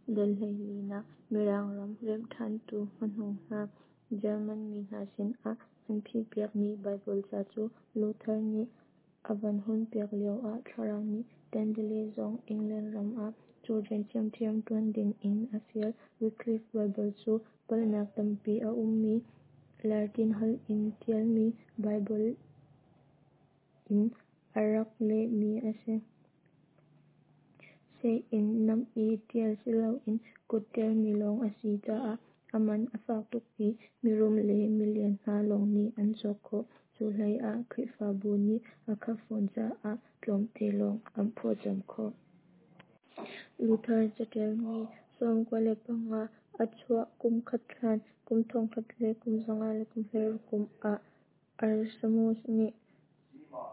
Dal 14nak Mirang ram remhṭhantu hmanung hna German mi hna sinah an phihpiakmi Baibal ca cu Luther nih a van hunpiak lioah Thlarau nih Tyndale zong England ram ah cu rian ṭhiamṭhiam ṭuan dingin a fial. Wycliffe Baibal cu palhnak tampi a ummi Latin holh in ṭialmi Baibal in a rak lehmi a si. Seh in nam i ṭial siloin kut ṭialmi lawng a si caah a man a fak tuk i mirum le milian hna lawng nih an cawk khawh. Cu hleiah Khrihfabu nih a khap fawn caah tlawmte lawng an phawtzamh khawh. Luther caṭialmi 95 a chuah kum khat hlan, kum 1116 kum ah Erasmus nih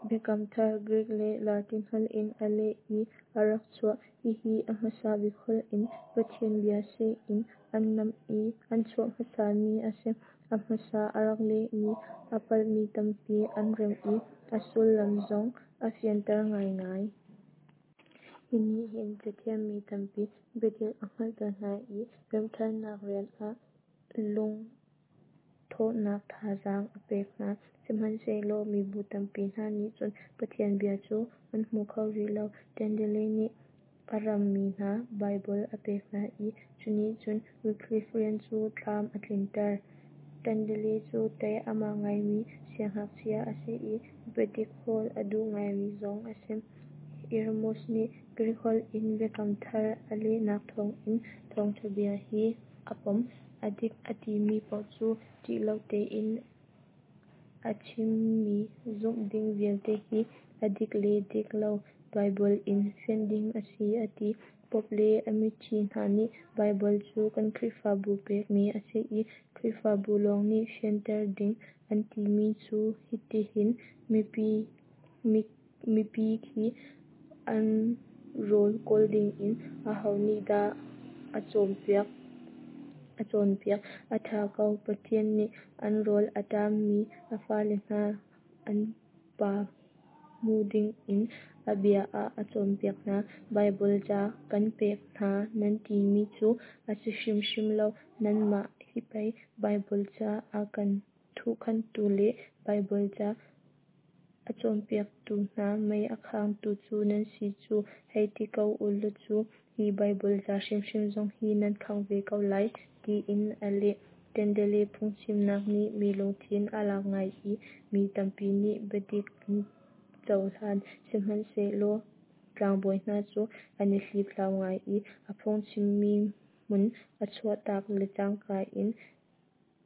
Biakam Thar Greek le Latin holh in a leh i a rak chuah. Hihi a hmasa bik holh in Pathian bia seh in an nam i an chuah hmasami a si. A hmasa a rak lehmi a palhmi tampi an remh i a sullam zong a fianter ngaingai. Hi nih hin cathiammi tampi biadik a hngalhter hna i remhṭhannak rian ah lungthawhnak thazaang a pek hna. Sihmanhsehlaw mibu tampi hna nih cun Pathian bia cu an hmu kho rih lo. Tyndale nih a rammi hna Baibal a pek hna i cu nih cun Wycliffe rian cu tlam a tlinter. Tyndale cu tei a ma ngaimi siangngakchia a si i biadik hawl a duh ngaimi zong a si. Erasmus nih Greek holh in Biakam Thar a lehnak thawngin thawngṭha bia hi a pom. A dik a timi paoh cu ṭih lo tein a chimmi zumh ding vialte hi a dik le dik lo Baibal in fianh ding a si a ti. Pope le a miṭhi hna nih Baibal cu kan Khrihfabu pekmi a si i Khrihfabu lawng nih fianter ding an timi cu hitihin mipi khi an rawl kawl dingin aho nih dah a cawnpiak? A ṭha ko, Pathian nih an rawl a ṭammi a fale hna an pa hmu dingin a bia ah a cawnpiak hna. Baibal ca kan pek hna nan timi cu a si hrimhrim lo. Nanmah hi pei Baibal ca a kan thuhkhanhtu le Baibal ca a cawnpiaktu hna mei a khangtu cu nan si cu hei ti ko u law cu hi Baibal ca hrimhrim zong hi nan khangh ve ko lai, tiin a leh. Tyndale phungchimnak nih mi lungthin a lak ngai i mi tampi nih biadik an cohlan. Sihmanhsehlaw tlangbawi hna cu an i hliphlau ngai i a phungchimmi hmun a chuahtak le cangka in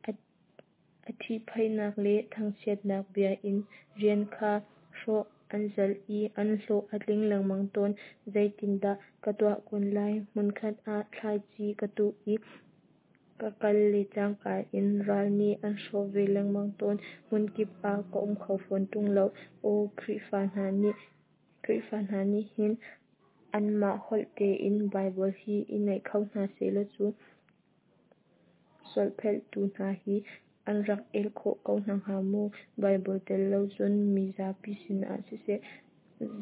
a ṭhihphaihnak le thangchiatnak bia in rian kha hrawh an zalh i an hlawh a tling lengmang tawn. Zeitindah ka tuah kun lai? Hmunkhat ah thlaici ka tuh i ka kal le cangka in ral nih an hrawh ve lengmang tawn. Hmunkip ah ka um kho fawn ṭung lo. Aw, Khrihfa hna nih hin anmah holh tein Baibal hi i ngeih kho hna sehlaw cu solhphelhtu hna hi an rak el khawh ko hna hnga mu. Baibal tel lo cun mizapi sinah siseh,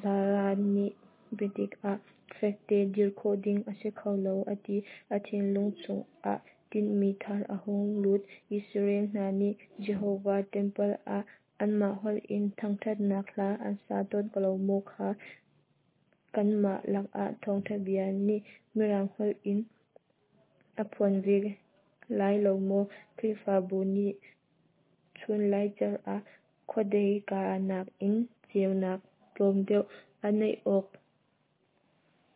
zaran nih biadik ah fekte dir khawh ding a si kho lo, a ti. A thinlung chungah tinhmi thar a hung lut. Israel hna nih Jehovah ṭempal ah anmah holh in thangṭhatnak hla an sa tawn ko lo maw kha? Kanmah lakah thawngṭha bia nih Mirang holh in a phuan ve lai lo maw? Khrihfabu nih chun laicer ah khuadei kaa nakin ceunak tlawm deuh a neih awk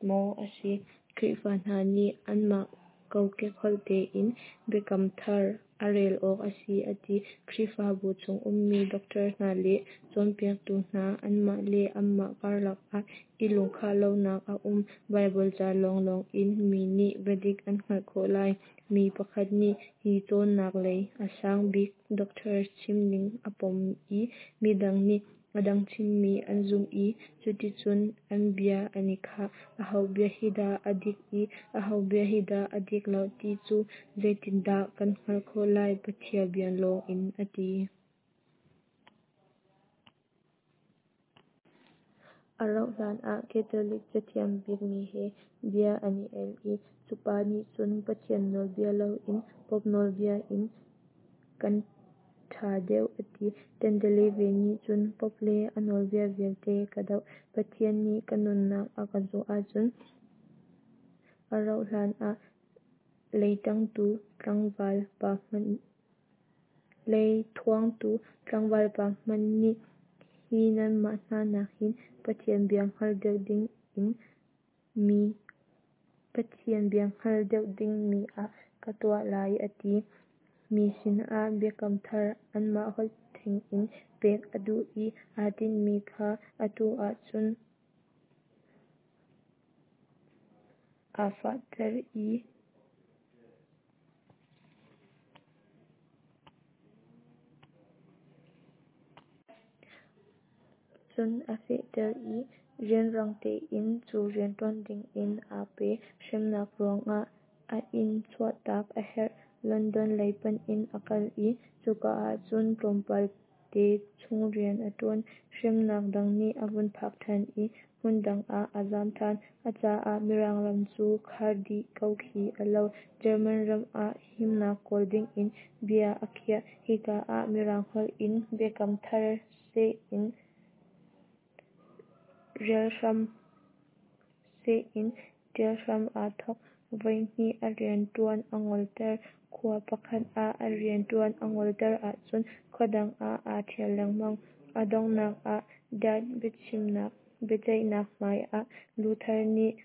maw a si? Khrihfa hna nih anmah kokek holh tein Biakam Thar a rel awk a si a ti. Khrihfabu chung ummi doctor hna le cawnpiaktu hna anmah le anmah karlak ah i lungkhah lonak a um. Baibal ca lawnglawng in mi nih biadik an hngalh khawh lai. Mi pakhat nih hi cawnnak lei a sang bik doctor chimning a pom i midang nih a dang chimmi an zumh i cuticun an bia an i khah. Aho bia hi dah a dik i aho bia hi dah a dik lo ti cu zeitindah kan hngalh khawh lai? Pathian bia lawng in a ti. A rauh hlan ah Catholic cathiam bikmi he bia an i el i cu pa nih cun Pathian nawlbia loin Pope nawlbia in kan ṭha deuh a ti. Tyndale ve nih cun Pope le a nawlbia vialte ka doh. Pathian nih ka nunnak a ka zuah ahcun a rauh hlan ah leithuangtu tlangval pa hmanh nih hi nanmah hna nak hin Pathian bia hngal deuh dingmi ah ka tuah lai a ti. Mi sinah Biakam Thar anmah holh theng in pek a duh i aa tinhmi kha atu ahcun aa fehter i cun a fehter i rianrang tein cu rian ṭuan dingin aa pe. Hremnak ruangah a inn chuahtak a herh. London lei panh in a kal i cuka ahcun tlawmpal te chung rian a ṭuan. Hremnak dang nih a vun phak ṭhan i hmun dang ah a zam ṭhan. A caah Mirang ram cu khar dih ko khi a lo. German ram ah himnak kawl dingin bia a khiah. Hika ah Mirang holh in Biakam Thar seh in ṭial hram aa thawk. Voihnih a rianṭuan a ngolter. Khua pakhat ah a rianṭuan a ngolter ahcun khua dang ah aa ṭhial lengmang. A donghnak ah Diet biaceihnak hmai ah Luther nih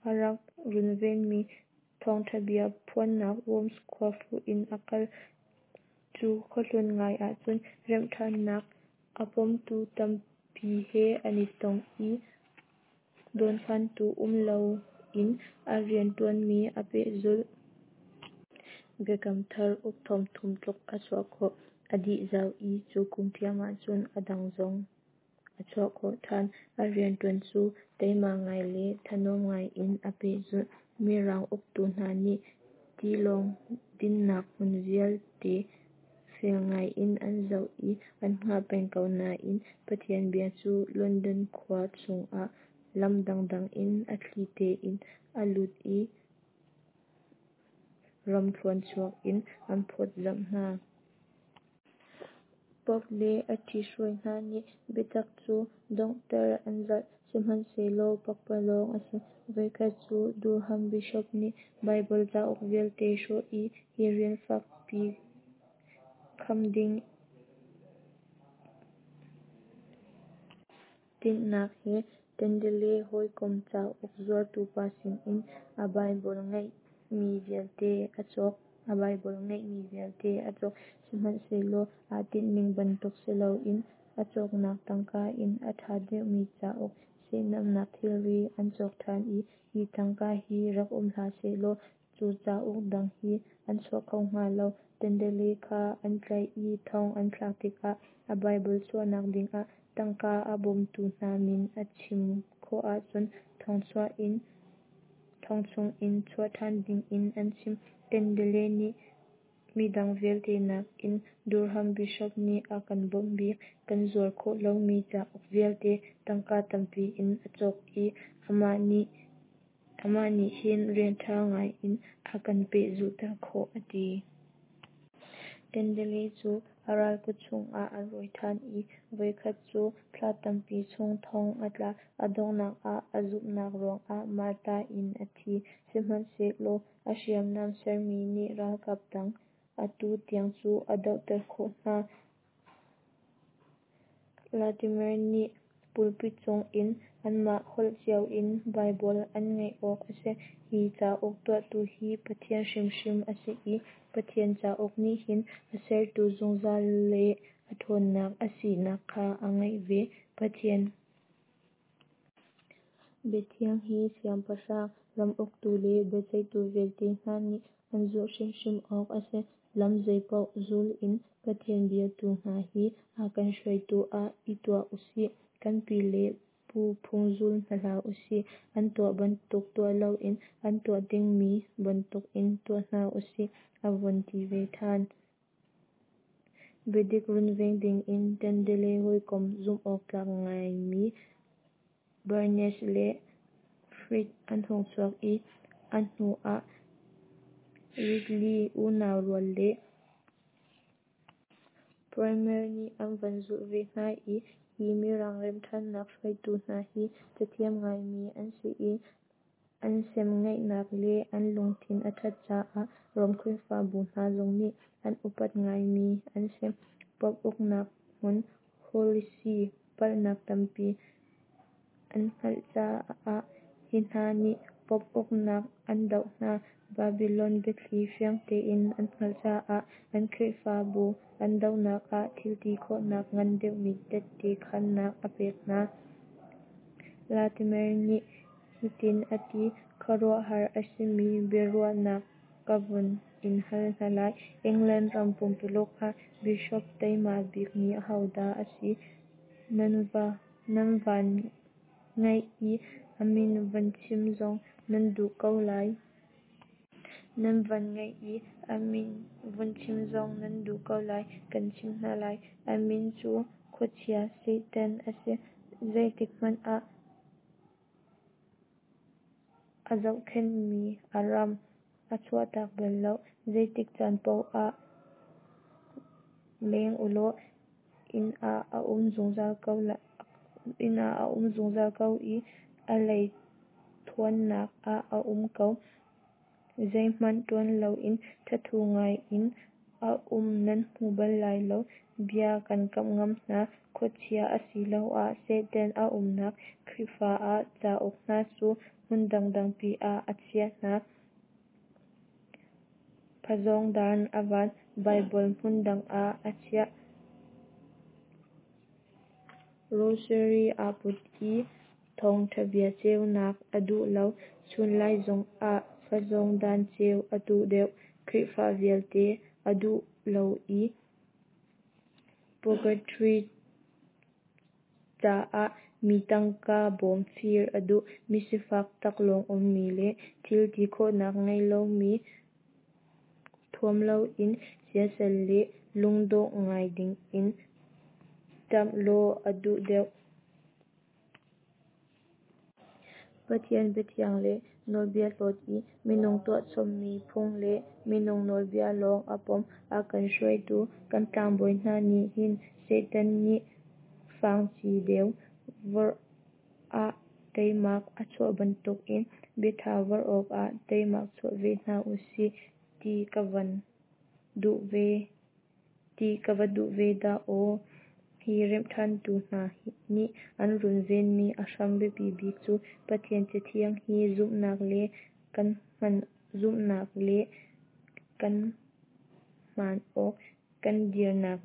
a rak runvenmi thawngṭhabia phuannak Worms khua fuh in a kal. Cu khuahlun ngai ahcun remhṭhannak a pomtu tampi he an i tong i dawnkhantu um loin a rianṭuanmi a pehzulh. Biakam Thar uk 3000 tluk a chuah khawh. A dih zau i cu kum ṭhiam ahcun a dang zong a chuah khawh ṭhan. A rianṭuan cu teima ngai le thanuam ngai in a pehzulh. Mirang uktu hna nih tilawng dinhnak hmun vialte fel ngai in an zoh i an hngah peng ko nain Pathian bia cu London khua chungah lam dangdang in a thli tein a lut i ramthluan chuak in an phawtzamh hna. Pope le a ṭhithruai hna nih biatak cu donghter an zalh, sihmanhsehlaw pakpalawng a si. Voikhat cu Durham Bishop nih Baibal cauk vialte hrawh i hi rian fakpi kham ding tinhnak he Tyndale hawikom cauk zuartu pa sinin a Baibal ngeihmi vialte a cawk. Sihmanhsehlaw aa tinhning bantuk si loin a cawknak tangka in a ṭha deuhmi cauk, sehnamnak thilri an cawk ṭhan i hi tangka hi rak um hlah sehlaw cu cauk dang hi an chuak kho hnga lo. Tyndale kha an tlaih i thong an thlak tikah a Baibal chuahnak dingah tangka a bawmtu hna min a chim khawh ahcun thong chungin chuah ṭhan dingin an chimh. Tyndale nih midang vialte nakin Durham Bishop nih a kan bawmh bik. Kan zuar khawh lomi cauk vialte tangka tampi in a cawk i amah nih hin rian ṭha ngai in a kan pehzulhter khawh, a ti. Tyndale cu a ral kut chungah an rawi ṭhan i voikhat cu thla tampi chung thong a tla. A donghnak ah a zumhnak ruangah martar in a thi. Sihmanhsehlaw a hriamnam sermi nih ralkap dang atu tiang cu a dohter khawh hna. Latimer nih pulpit cung in anmah holh cio in Baibal an ngeih awk a si. Hi cauk tuahtu hi Pathian hrimhrim a si i Pathian cauk nih hin a sertu zungzal le a ṭhawnnak a sinak kha a ngeih ve. Pathian biathiang hi siangpahrang, ram uktu le biaceihtu vialte hna nih an zulh hrimhrim awk a si. Lam zeipaoh zul in Pathian bia tu hna hi a kan hruaitu ah i tuah u sih. Kan pi le pu phung zul hna hlah u sih. An tuah bantuk tuah loin an tuah dingmi bantukin tuah hna u sih, a vun ti ve ṭhan. Biadik runveng dingin Tyndale hawikom zumhawktlak ngaimi. Barnes le Frith an hung chuak i a hnu ah Ridley unau rual le Primer nih an van zulh ve hna i hi Mirang remhṭhannak hruaitu hna hi cathiam ngaimi an si i an semngeihnak le an lungthin a ṭhat caah Rom Khrihfabu hna zong nih an upat ngaimi an si. Pope uknak hmun Holy See palhnak tampi an hngalh caah hi hna nih Pope uknak an doh hna. Babylon biathli fiang tein an hngalh caah an Khrihfabu an dohnak ah thilti khawhnak ngan deuhmi tette khannak a pek hna. Latimer nih hitin a ti: "Khuaruahhar a simi biaruahnak ka vun in hal hna lai. England ram pumpuluk ah Bishop teima bikmi ahodah a si nan van ngaih i a min van chim zong nan duh ko lai. Nan van ngaih i a min vun chim zong nan duh ko lai. Kan chimh hna lai. A min cu khuachia Satan a si. Zeitik hmanh ah a zohkhenhmi a ram a chuahtak bal lo. Zeitik caan paoh ah leng ulaw inn ah a um zungzal ko i a lei thuannak ah a um ko. Zeihmanh tuan loin thathu ngaiin a um nan hmu bal lai lo. Bia kan kamh ngam hna. Khuachia asiloah Satan a umnak Khrihfa a cauk hna cu hmun dangdang pi ah a chiah hna. Phazawngdan a van. Baibal hmun dang ah a chiah. Rosary aa put i thawngṭhabia ceunak a duh lo. Chunlai zongah phazawngdan ceu a duh deuh. Khrihfa vialte a duh lo i Purgatory caah mi tangka bawm fir a duh. Misifak taklawng ummi le thil ti khawhnak ngei lomi thuam loin siasal le lungdawh ngai dingin ṭamh law a duh deuh. Pathian biathiang le nawlbia hlawt i minung tuahchommi phung le minung nawlbia lawng a pom. A kan hruaitu kan tlangbawi hna nih hin Satan nih fangci deu vorh ah teimak a chuah bantukin biatha vorh awkah teimak chuah ve hna usih ti ka va duh ve dah aw. Hi remhṭhantu hna nih an runvenmi a hram biapi bik cu Pathian Cathiang hi zumhnak le kan hman awk kan dirnak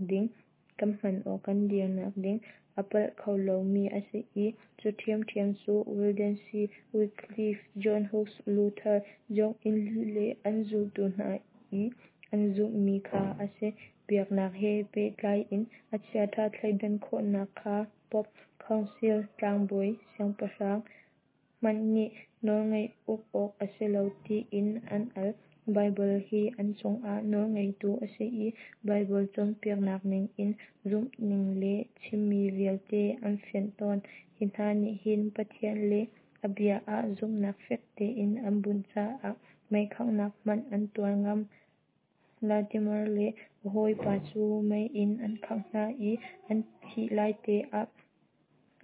ding a palh kho lomi a si i cu ṭhiamṭhiam cu Waldenses, Wycliffe, John Hus, Luther, John Zwingli le an zultu hna i an zumhmi kha a si. Biaknak he pehtlai in a chiaṭha thleidan khawhnak kha Pope, Council, tlangbawi, siangpahrang hmanh nih nawlngeih uk awk a si lo tiin an al. Baibal hi an cungah nawlngeitu a si i Baibal cawnpiaknak ningin zumhning le chimmi vialte an fianh tawn. Hi hna nih hin Pathian le a bia ah zumhnak fek tein an bunh caah meikhanghnak hmanh an tuar ngam. Latimer le a hawipa cu mei in an khangh hna i an thih laite ah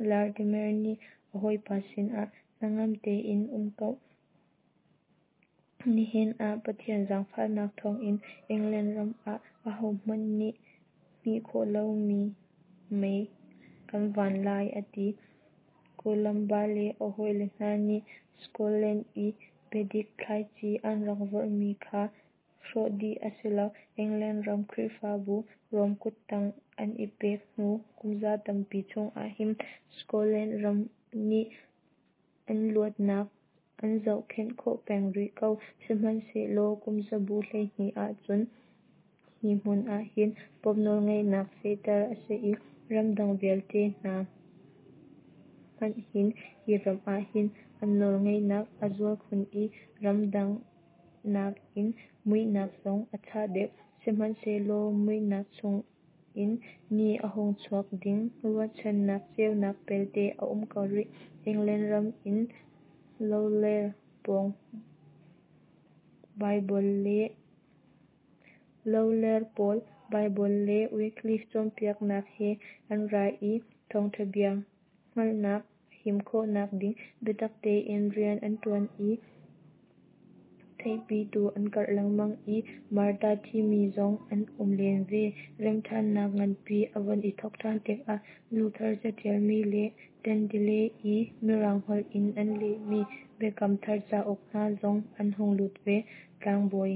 Latimer nih a hawipa sinah hnangam tein um ko. Nihin ah Pathian zaangfahnak thawngin England ram ah ahohmanh nih hmih khawh lomi mei kan van lai a ti. Columba le a hawile hna nih Scotland i biadik thlaici an rak vorhmi kha hrawh dih a si lo. England ram Khrihfabu Rom kuttang an i pek hnu kumza tampi chungah hin Scotland ram nih an luatnak an zohkhenh khawh peng rih ko. Sihmanhsehlaw kumzabu 12 ahcun hi hmun ahhin Pope nawlngeihnak fehter a si i ramdang vialte hna hmanh hin hi ram ahhin an nawlngeihnak a zual khun i ramdang nakin muihnak zong a chah deuh. Sihmanhsehlaw muihnak chung in ni a hung chuak ding ruahchannak ceunak pelte a um ko rih. England ram in Lawler pawl Baibal le Wycliffe cawnpiaknak he an ra i thawngtha bia hngalhnak a him khawhnak ding biatak tein rian an tuan i theihpitu an karh lengmang i martar thimi zong an um len ve. Remhthannak nganpi a von i thawk than tikah Luther catialmi le Tyndale i Mirang holh in an lehmi Biakam Thar cauk hna zong an hung lut ve. Tlangbawi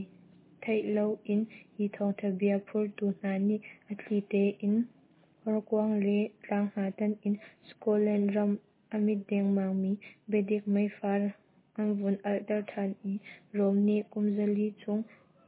theih loin hi thawngtha bia phurtu hna nih a thli tein horkuang le tlang hna tan in Scotland ram a mit dengmangmi biadik meifar an vun alhter than i Rom nih kum 400 chung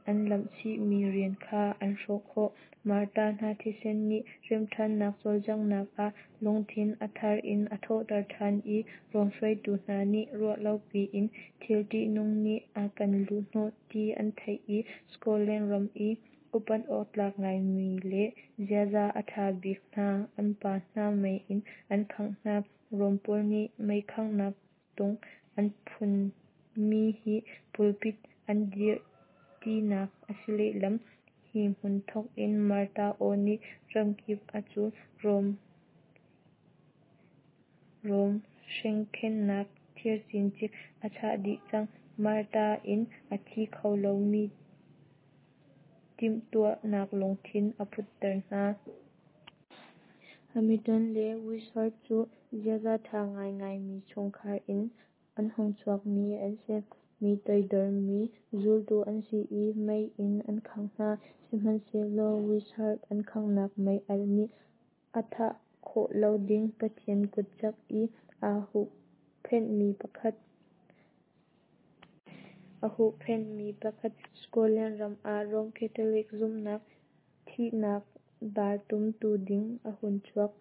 an lamhchihmi rian kha an hrawh khawh. Martar hna thisen nih remhthannak cawlcanghnak ah lungthin a thar in a thawhter than i Rom hruaitu hna nih ruah lopi in thil tihnung nih a kan luhhnawh ti an theih i Scotland ram i upat awktlak ngaimi le ziaza a tha bik hna an pa hna mei in an khangh hna. Rom pawl nih meikhanghnak tung an phunmi hi pulpit an dirh tinak a si lehlam. Hi hmun thawk in martar aw nih ramkip a cul. Rom hrengkhenhnak thir cincik a chah dih cang. Martar in a thi kho lomi timhtuahnak lungthin a putter hna. Hamilton le Wishart cu ziaza ṭha ngaingaimi chungkhar in an hung chuakmi an si. Mi toidormi zultu an si i mei in an khangh hna. Sihmanhsehlaw Wishart an khanghnak mei-alh nih a thah khawh lo ding Pathian kut cak i aa huhphenhmi pakhat Scotland ram ah Rom Catholic zumhnak thihnak dar tumtu ding a hun chuak.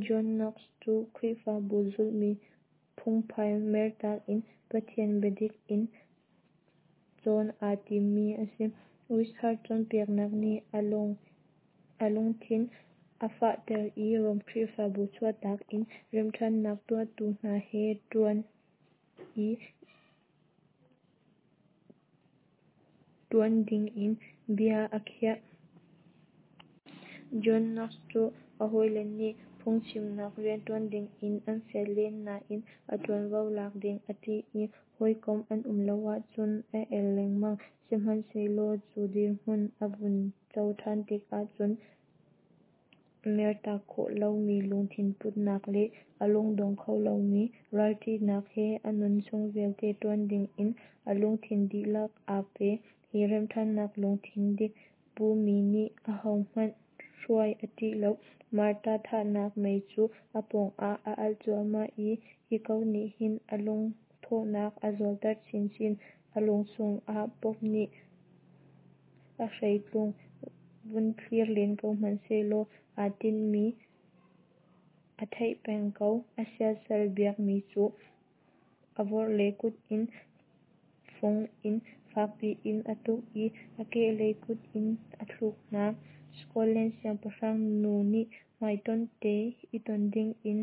John Knox cu Khrihfabu zulhmi phungphai mertak in Pathian biadik in cawn aa timmi a si. Wishart cawnpiaknak nih a lungthin a fahter i Rom Khrihfabu chuahtak in remhthannak tuahtu hna he ṭuan dingin bia a khiah. John Knox cu a hawile nih phungchimnak rianṭuan dingin an fial len nain a ṭuanvo lak ding a ṭih i hawikom an um lo ahcun a el lengmang. Sihmanhsehlaw cu dirhmun a vun co ṭhan tikah cun mertak khawh lomi lungthin putnak le a lungdong kho lomi ralṭihnak he a nun chung vialte ṭuan dingin a lungthin dihlak aa pe. Hi remhthannak lungthin dik pumi nih ahohmanh hruai a ṭih lo. Martar thahnak mei cu a pawngah a alh cuahmah i hi ko nih hin a lungthawhnak a zualter chinchin. A lung chungah Pope nih a hreitlung vun thlir len ko hmanhsehlaw aa tinhmi a theih peng ko. A siasal biakmi cu a vorhlei kut in fung in fakpi in a tuk i a kehlei kut in a thluk hna. Scotland siangpahrang nu nih hmaitonh te i ton dingin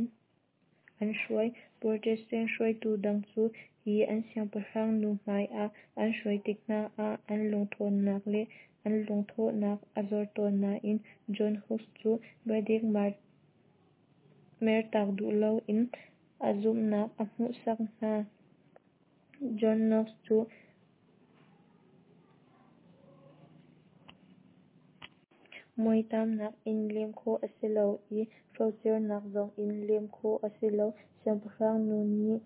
an hruai. Protestant hruaitu dang cu hi an siangpahrang nu hmai ah an hruai tik hna ah an lungthawnnak le an lungthawhnak a zor tawn nain John Hus cu biadik mertak duh loin a zumhnak a hmuhsak hna. John Knox cu mawithamnak in lem khawh a si lo i hrocernak zong in lem khawh a si lo. Siangpahrang nu nih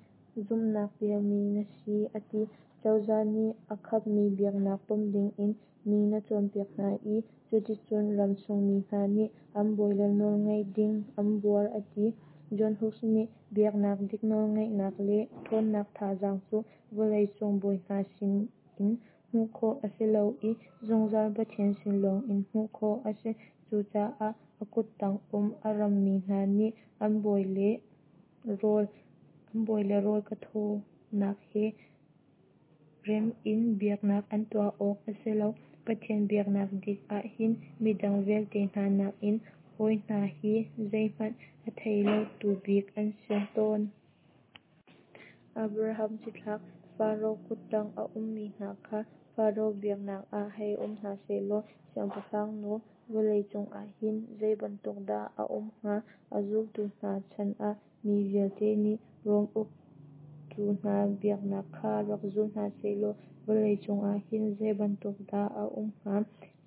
zumhnak pialmi na si a ti. Cozah nih a khapmi biaknak pom dingin mi na cawnpiak hna i cuticun ram chungmi hna nih an bawile nawlngaih ding an buar a ti. John Hus nih biaknak dik nawlngeihnak le ṭhawnnak thazaang cu vawleicung bawi hna sin in hmuh khawh a si lo i zungzal Pathian sin lawng in hmuh khawh a si. Cucaah a kuttang um a rammi hna nih an bawi le rawl ka thawnak he rem in biaknak an tuah awk a si lo. Pathian biaknak dik ahhin midang vialte hna nakin hawi hna hi zeihmanh a thei lo tu bik an si tawn. Abraham cithlak Faro kuttang a ummi hna kha Faro biaknak ah hei um hna sehlaw siangpahrangnu vawleicung ahhin zeibantuk dah a um hnga? A zultu hna chan ah mi vialte nih Rom uktu hna biaknak kha rak zul hna sehlaw vawleicung ahhin zeibantuk dah a um hnga?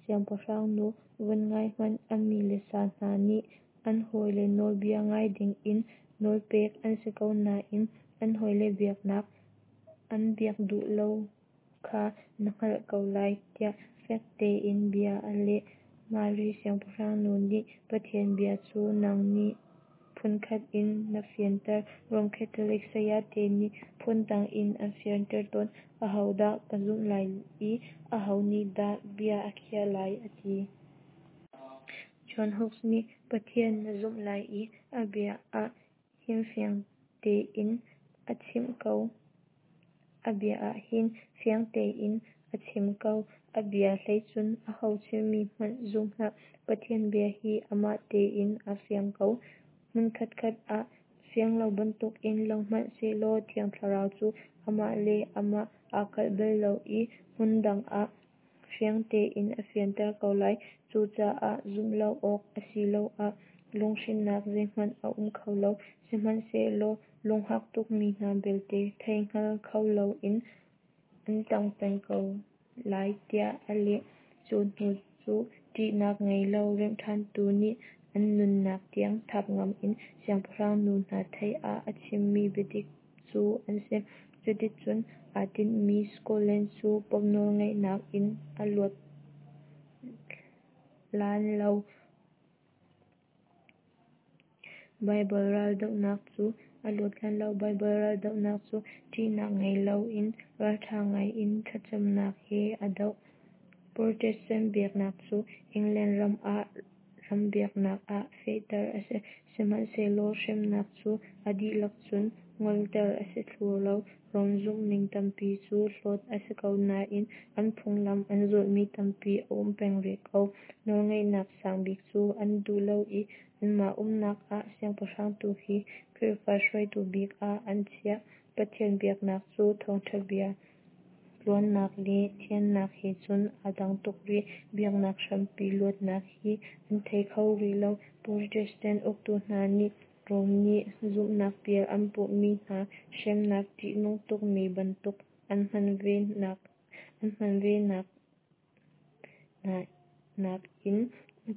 Siangpahrangnu vun ngai hmanh, a mi le sa hna nih an hawile nawlbia ngai dingin nawlpek an si ko nain an hawile biaknak an biak duh lo kha na hngalh ko lai, tiah fek tein bia a leh. Mari siangpahrangnu nih Pathian bia cu nang nih phunkhat in na fianter, Rom Catholic sayate nih phundang in an fianter tawn. Ahodah ka zumh lai i aho nih dah bia a khiah lai, a ti. John Hus nih Pathian na zumh lai i a bia ah hin fiang tein a chimh ko. A bia ah hin fiang tein a chim ko. A bia hlei cun aho chimmi hmanh zum hlah. Pathian bia hi amah tein aa fiang ko. Hmun khatkhat ah fiang lo bantukin lang hmanh sehlaw Thiang Thlarau cu amah le amah aa kalh bal lo i hmun dang ah fiang tein a fianter ko lai. Cucaah zumh lo awk asiloah lunghrinnak zeihmanh a um kho lo. Sihmanhsehlaw lunghak tukmi hna belte theihngal kho loin an tang peng ko lai, tiah a leh. Cu hnu cu ṭihnak ngei lo remhṭhantu nih an nunnak tiang thap ngam in siangpahrangnu hna theih ah a chimmi biadik cu an si. Cuticun aa tinhmi Scotland cu Pope nawlngeihnak in a luat lan lo. Baibal raldohnak cu a luat lan lo. Baibal raldohnak cu ṭihnak ngei loin ralṭha ngai in thlacamnak he a doh. Protestant biaknak cu England ram ah ram biaknak ah fehter a si. Sihmanhsehlaw hremnak cu a dihlak cun ngolter a si thlu lo. Rom zumhning tampi cu hlawt a si ko nain an phunglam an zulhmi tampi a um peng rih ko. Nawlngeihnak sang bik cu an duh lo i anmah umnak ah siangpahrang tu hi Khrihfa hruaitu bik ah an chiah. Pathian biaknak cu thawngṭha bia tluannak le thiannak he cun aa dang tuk rih. Biaknak hrampi luatnak hi an thei kho rih lo. Protestant uktu hna nih Rom nih zumhnak pial an puhmi hna hremnak ṭihnung tukmi bantuk an hman ve hna nain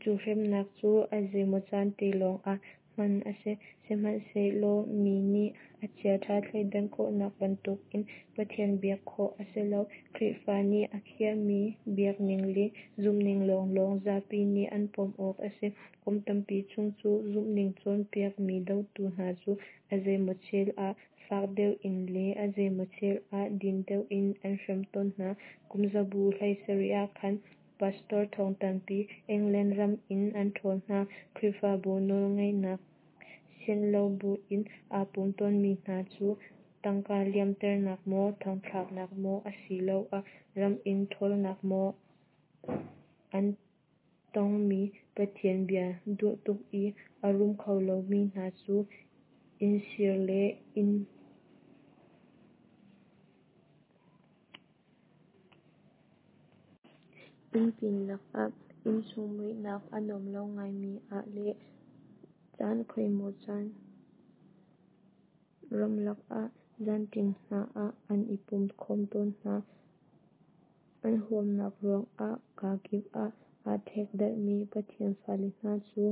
cu hremnak cu a zeimaw caan te lawngah hman a si. Sihmanhsehlaw mi nih a chiaṭha thleidan khawhnak bantukin Pathian biak khawh a si lo. Khrihfa nih a khiahmi biakning le zumhning lawnglawng zapi nih an pom awk a si. Kum tampi chung cu zumhning cawnpiakmi dotu hna cu a zeimaw chel ah fak deuh in le a zeimaw chel ah din deuh in an hrem tawn hna. Kum zabu 17 ah khan pastor thong tampi England ram in an ṭhawl hna. Khrihfabu nawlngeihnak sianh lo buin aa pum tawnmi hna cu tangka liamternak maw, thongthlaknak maw asiloah ram in ṭhawlnak maw an tongmi Pathian bia duh tuk i a rum kho lomi hna cu innsir le inn pin lakah innchung muihnak a nuam lo ngaimi ah le caan khoimaw caan ramlak ah zanṭim hna ah an i pum khawm tawn hna. An huamnak ruangah kakip ah aa ṭhekdarhmi Pathian fale hna cu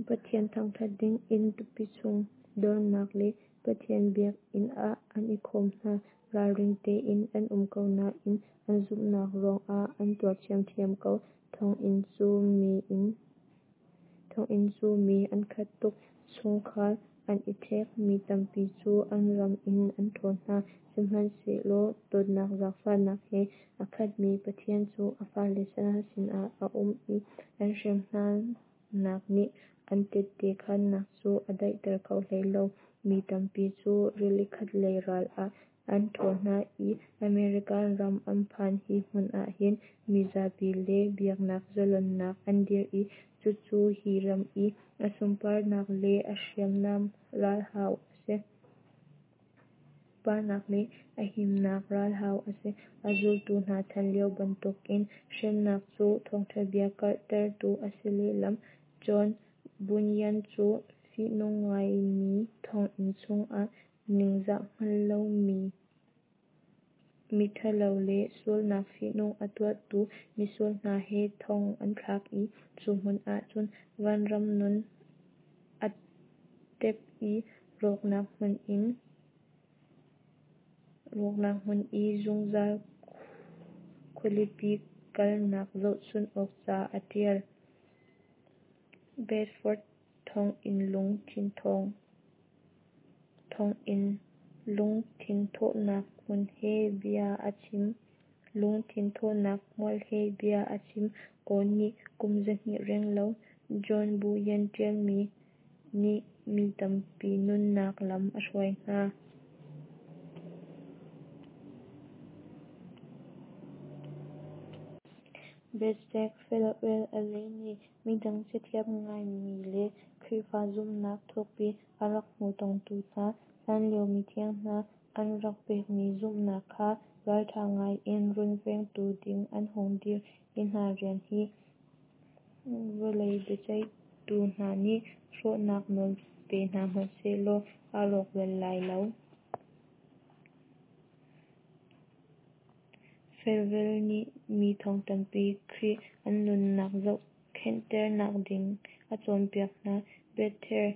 Pathian thangṭhat dingin tupi chung dornak le Pathian biakinn ah an i khawm hna. Ralring tein an um ko nain an zumhnak ruangah an tuar ṭhiamṭhiam ko. Thonginn cu mi an khat tuk. Chungkhar an i ṭhek. Mi tampi cu an ram in an ṭhawl hna. Sihmanhsehlaw dawtnak zaangfahnak he a khatmi Pathian cu a fale hna sinah a um i an hrem hnanak nih an tehte khaannak cu a daihter kho hlei lo. Mi tampi cu rili khatlei ral ah an ṭhawl hna i American ram an phan. Hi hmun ahhin mizapi le biaknak zalonnak an dir i cucu hi ram i a sunparnak le a himnak ralhau a si. A zultu hna chan lio bantukin hremnak cu thawngṭhabia karhtertu a si lehlam. John Bunyan cu fihnung ngaimi thonginn chungah ningzah hngal lomi miṭhalo le sualnak fihnung a tuahtu misual hna he thong an thlak i cu hmun ahcun vanram nun a tep i rawknak hmun i zungzal khualipi kalnak zohchun awk ca a ṭial. Bedford thonginn lungthinthawhnak hmun he bia a chim. Lungthinthawhnak hmual he bia a chim. Aw nih kum 200 renglo John Bunyan ṭialmi nih mi tampi nunnak lam a hruai hna. Biaceik Felwell Allen nih midang cathiam ngaimi le Khrihfa zumhnak thukpi a rak hmuhtongtu hna, hlanlio mithiang hna an rak pekmi zumhnak kha ralṭha ngai in runvengtu ding an hung dir. Hi hna rian hi vawlei biaceihtu hna nih hrawhnak nawl pe hna hmanh sehlaw a rawk bal lai lo. Felwell nih mi thong tampi Khrih an nunnak zohkhenhternak ding a cawnpiak hna. Bethel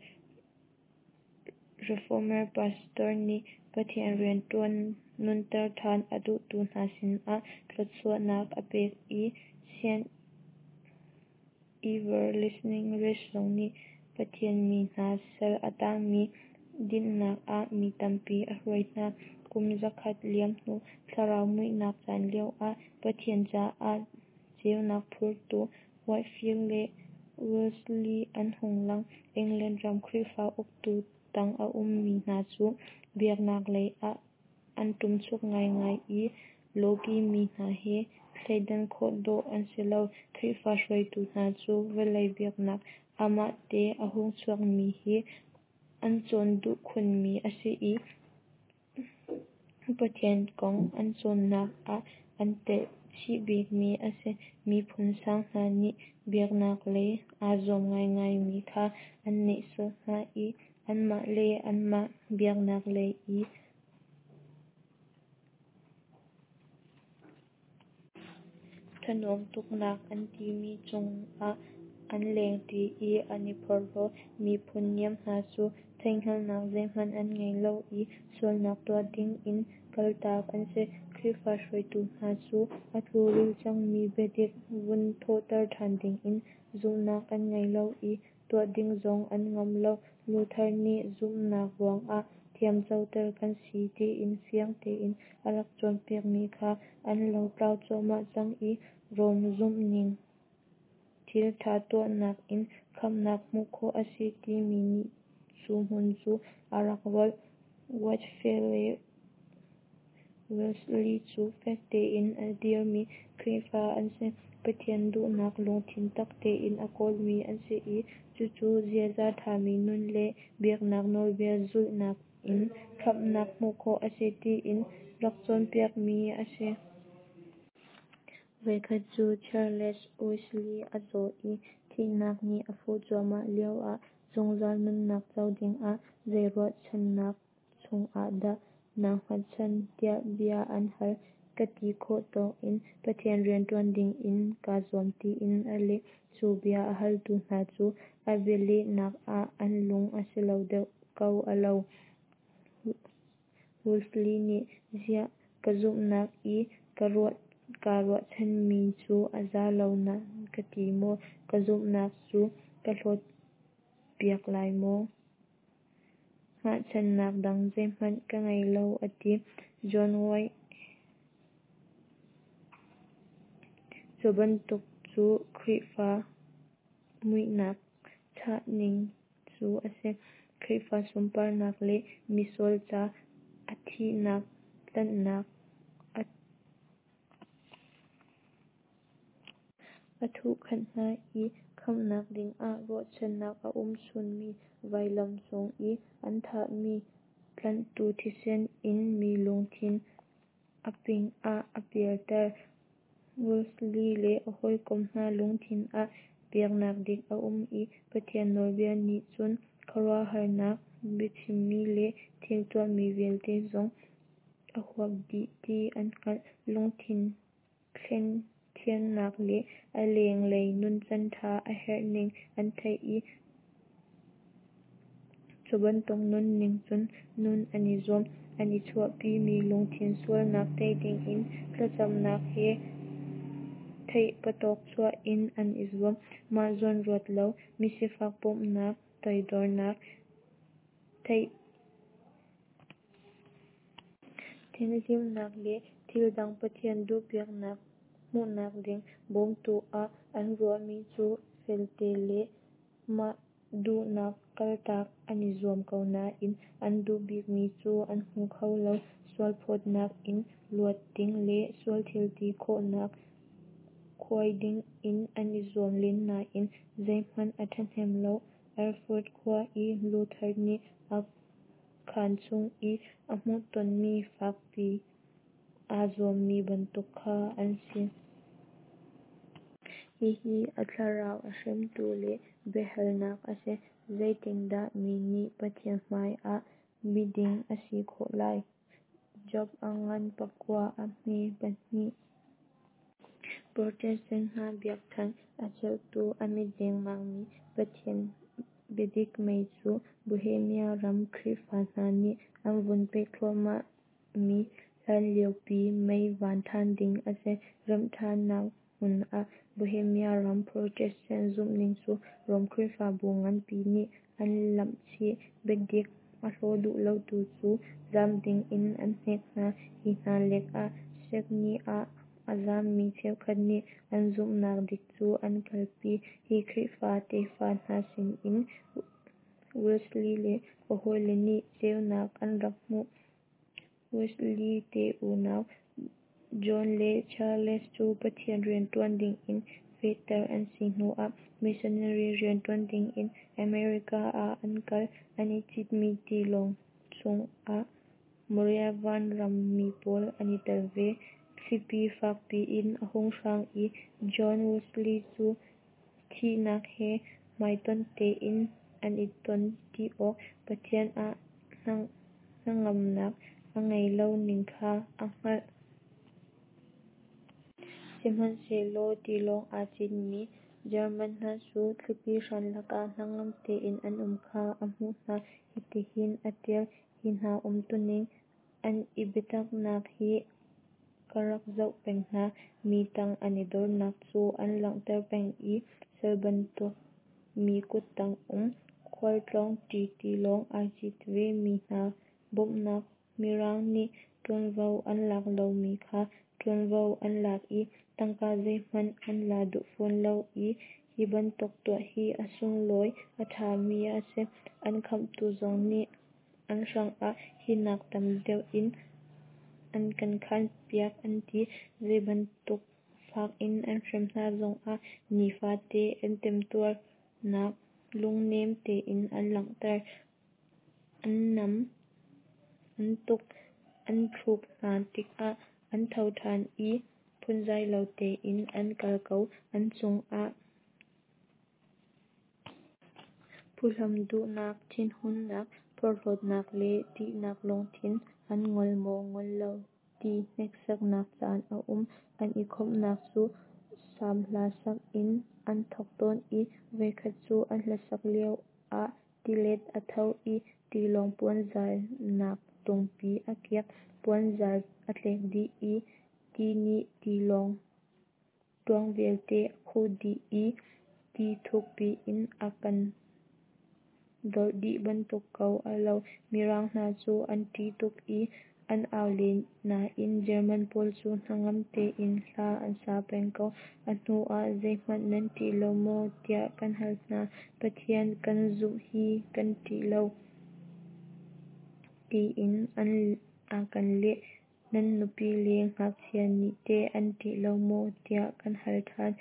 Reformer Pastor nih Pathian rianṭuan nunter ṭhan a duhtu hna sinah thluachuahnak a pek i Saint Everlasting Rest zong nih Pathian mi hna sal a tangmi dinhnak ah mi tampi a hruai hna. Kum 100 liam hnu thlarau muihnak caan lioah Pathian caah ceunak phurtu Whitefield le Wesley an hung lang. England ram Khrihfa uktu tang a ummi hna cu biaknak lei ah an ṭumchuk ngaingai i lawki mi hna he thleidan khawh dawh an si lo. Khrihfa hruaitu hna cu vawlei biaknak amahte a hung chuakmi hi an cawn duh khunmi a si i Pathian kong an cawnnak ah an telh chih bikmi a si. Miphun sang hna nih biaknak lei aa zuam ngaingaimi kha an nehsawh hna i anmah le anmah biaknak lei i thanuam tuknak an timi cungah an lengṭi i an i phorhlaw. Miphun niam hna cu theihhngalhnak zeihmanh an ngei lo i sualnak tuah ding in kaltak an si. Khrihfa hruaitu hna cu a tluril cangmi biadik vun thawhter ṭhan dingin zumhnak an ngei lo i tuah ding zong an ngamh lo. Luther nih zumhnak ruangah thiamcoter kan si tiin fiang tein a rak cawnpiakmi kha an lotlau cuahmah cang i Rom zumhning thil ṭha tuahnak in khamhnak hmuh khawh a si timi nih cu hmun cu a rak rolh. Whitefield le Wesley cu fek tein a dirmi Khrihfa an si. Pathian duhnak lungthin tak tein a kawlmi an si i cucu ziaza ṭhami nun le biaknak nawlbia zulhnak in khamhnak hmuh khawh a si tiin rak cawnpiakmi a si. Voikhat cu Charles Wesley a zaw i thihnak nih a fuh cuahmah lioah zungzal nunnak co dingah zei ruahchannak cungah dah naa hngatchan tiah bia an hal. Ka ti khawh tawk in Pathian rianṭuan dingin kaa zuam tiin a leh. Cu bia a haltu hna cu a bialehnak ah an lung a si lo deuh ko a lo. Wesley nih ziah ka zumhnak i kaa ruahchanmi cu a za lo nan ka ti maw? Ka zumhnak cu ka hlawt piak lai maw? Hngahchannak dang zeihmanh ka ngei lo a ti. John White Cu bantuk cu Khrihfa muihnak chahning cu a si. Khrihfa sunparnak le misual ca a thihnak tlanhnak a thuhkhanh hna i khamhnak dingah ruahchannak a um chunmi vailam cung i an thahmi tlanhtu thisen in mi lungthin a ping ah a pialter. Wesley le a hawikom hna lungthin ah biaknak dik a um i Pathian nawlbia nih cun khuaruahharnak, biachimmi le thil tuahmi vialte zong a huap dih ti an hngalh. Lungthin thlen thiannak le a lenglei nuncan ṭha a herhning an theih i cu bantuk nunning cun nun an i zuam. An i chuahpimi lungthin sualnak tei dingin thlacamnak he theihpatawp chuah in an i zuam. Mah zawn ruat lo, misifak bawmhnak, toidornak, thianhlimnak le thil dang Pathian duhpiaknak hmuhnak ding bawmtu ah an ruahmi cu felte le mah duhnak kaltak an i zuam ko nain an duh bikmi cu an hmu kho lo. Sualphawtnak in luat ding le sual thilti khawhnak khuai dingin an i zuam len nain zeihmanh a ṭhahnem lo. Erfurt khua i Luther nih a khaan chung i a hmuhtonmi fakpi aa zuammi bantuk kha an si. Hihi a thlarau a hremtu le biahalnak a si: Zeitindah mi nih Pathian hmai ah miding a si khawh lai? Job a ngan pakua, a hme pahnih. Protestant hna biakṭheng a ceuhtu a mit dengmangmi Pathian biadik mei cu Bohemia ram Khrihfa hna nih an vun peh thluahmah mi hlanliopi mei van ṭhan ding a si. Remhṭhannak hmun ah Bohemia ram Protestant zumhning cu Rom Khrihfabu nganpi nih an lamhchih, biadik a hlaw duh lotu cu zaam dingin an hnek hna. Hi hna lengah Saxony ah a zaammi cheukhat nih an zumhnak dik cu an kalpi. Hi Khrihfa tefa hna sinin Wesley le a hawile nih ceunak an rak hmuh. Wesley te unau John le Charles cu Pathian rianṭuan dingin fehter an si hnuah missionary rianṭuan dingin America ah an kal. An i citmi tilawng chungah Moravian ram mi pawl an i tel ve. Thlipi fakpi in a hung hrang i John Wesley cu thihnak he hmaitonh tein an i ton ti awk Pathian ah hnangamnak a ngeih lo ning kha a hngalh. Sihmanhsehlaw tilawng aa citmi German hna cu thlipi hran lakah hnangam tein an um kha a hmuh hna. Hitihin a ṭial: Hi hna umtuning, an i biataknak hi ka rak zoh peng hna. Mi tang an i dornak cu an langhter peng i sal bantuk mi kuttang um khualtlawng ṭi tilawng aa cit ve mi hna bawmhnak Mirang nih ṭuanvo an lak lomi kha ṭuanvo an lak i tangka zeihmanh an la duh fawn lo i hi bantuk tuah hi a sunglawi a ṭhami a si. An khamhtu zong nih an hrangah hi nak tam deuh in an kan khanpiak an ti. Zeibantuk fak in an hrem hna zongah nifate an temtuarnak lungnem tein an langhter. An nam, an tuk, an thluk hna tikah an tho ṭhan i phunzai lo tein an kal ko. An cungah phuhlam duhnak, thinhunnak, porhlawtnak le ṭihnak lungthin an ngol maw ngol lo ti hneksaknak caan a um. An i khawmhnak cu Salm hla sak in an thawk tawn i voikhat cu an hlasak lioah tilet a tho i tilawng puanzarnak tungpi a kiak. Puanzar a tlek dih i ti nih tilawng ṭuang vialte a khuh dih i ti thuk piin a kan dolh dih bantuk ko a lo. Mirang hna cu an ṭih tuk i an au len nain German pawl cu hnangam tein hla an sa peng ko. A hnu ah zeihmanh nan ṭih lo maw tiah kan hal hna. Pathian kan zumh i kan ṭih lo tiin an a kan leh. Nan nupi le ngakchia nih teh an ṭih lo maw? tiah kan hal ṭhan.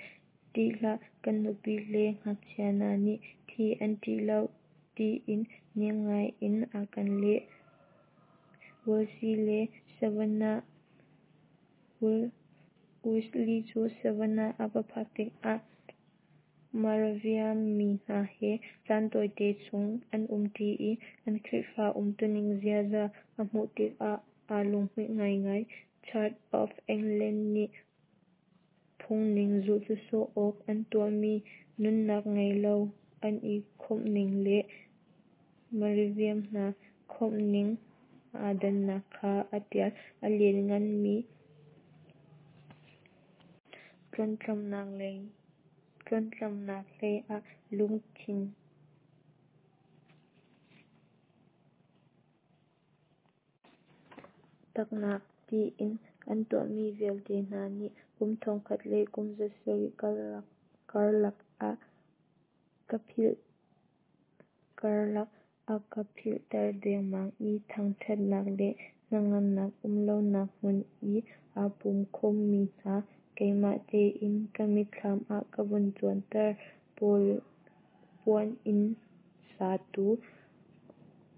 Ṭih hlah, kan nupi le ngakchia hna nih thih an ṭih lo, tiin nem ngai in a kan leh. Wesley cu Savannah a va phak tikah Moravian mi hna he caan tawite chung an um ṭi i an Khrihfa umtuning ziaza a hmuh tikah aa lunghmuih ngaingai. Church of England nih phungning zulh sawsawh awk an tuahmi nunnak ngei lo an i khawmhning le Moravian hna khawmhning aa dannak kha a ṭial. A liannganmi tluanhtlamnak hlei ah lungthin taknak tiin an tuahmi vialte hna nih kum 1000 le kum 700 karlak a ka philhter dengmang i thangṭhatnak le hnangamnak um lonak hmun i aa pum khawmmi hna keimah tein ka mitthlam ah ka vun cuanter. Puaninn satu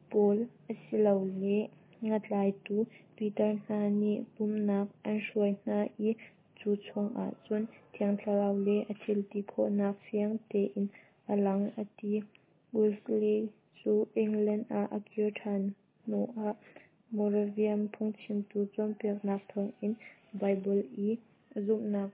pawl asilole ngatlaitu pitar hna nih pumhnak an hruai hna i cu chungah cun Thiang Thlarau le a thilti khawhnak fiang tein a lang, a ti. Wesley cu England ah a kir ṭhan hnuah Moravian phungchimtu cawnpiaknak thawngin Baibal i zumhnak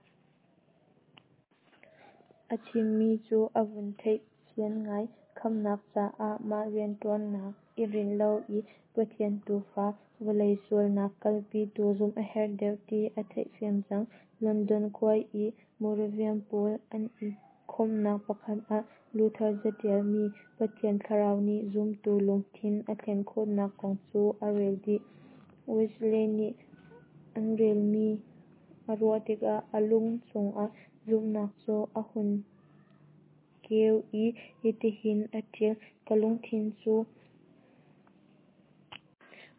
a chimmi cu a vun theih fian ngai. Khamhnak caah mah rianṭuannak i rinh lo i Pathian Tuufa, vawlei sualnak kalpitu zumh a herh deuh ti a theihfian cang. London khua i Moravian pawl an i khawmhnak pakhat ah Luther caṭialmi Pathian Thlarau nih zumtu lungthin a thlen khawhnak kong cu a rel dih. Wesley nih a relmi a ruah tikah a lung chungah zumhnak cu a hun keu i hitihin a ṭial: Ka lungthin cu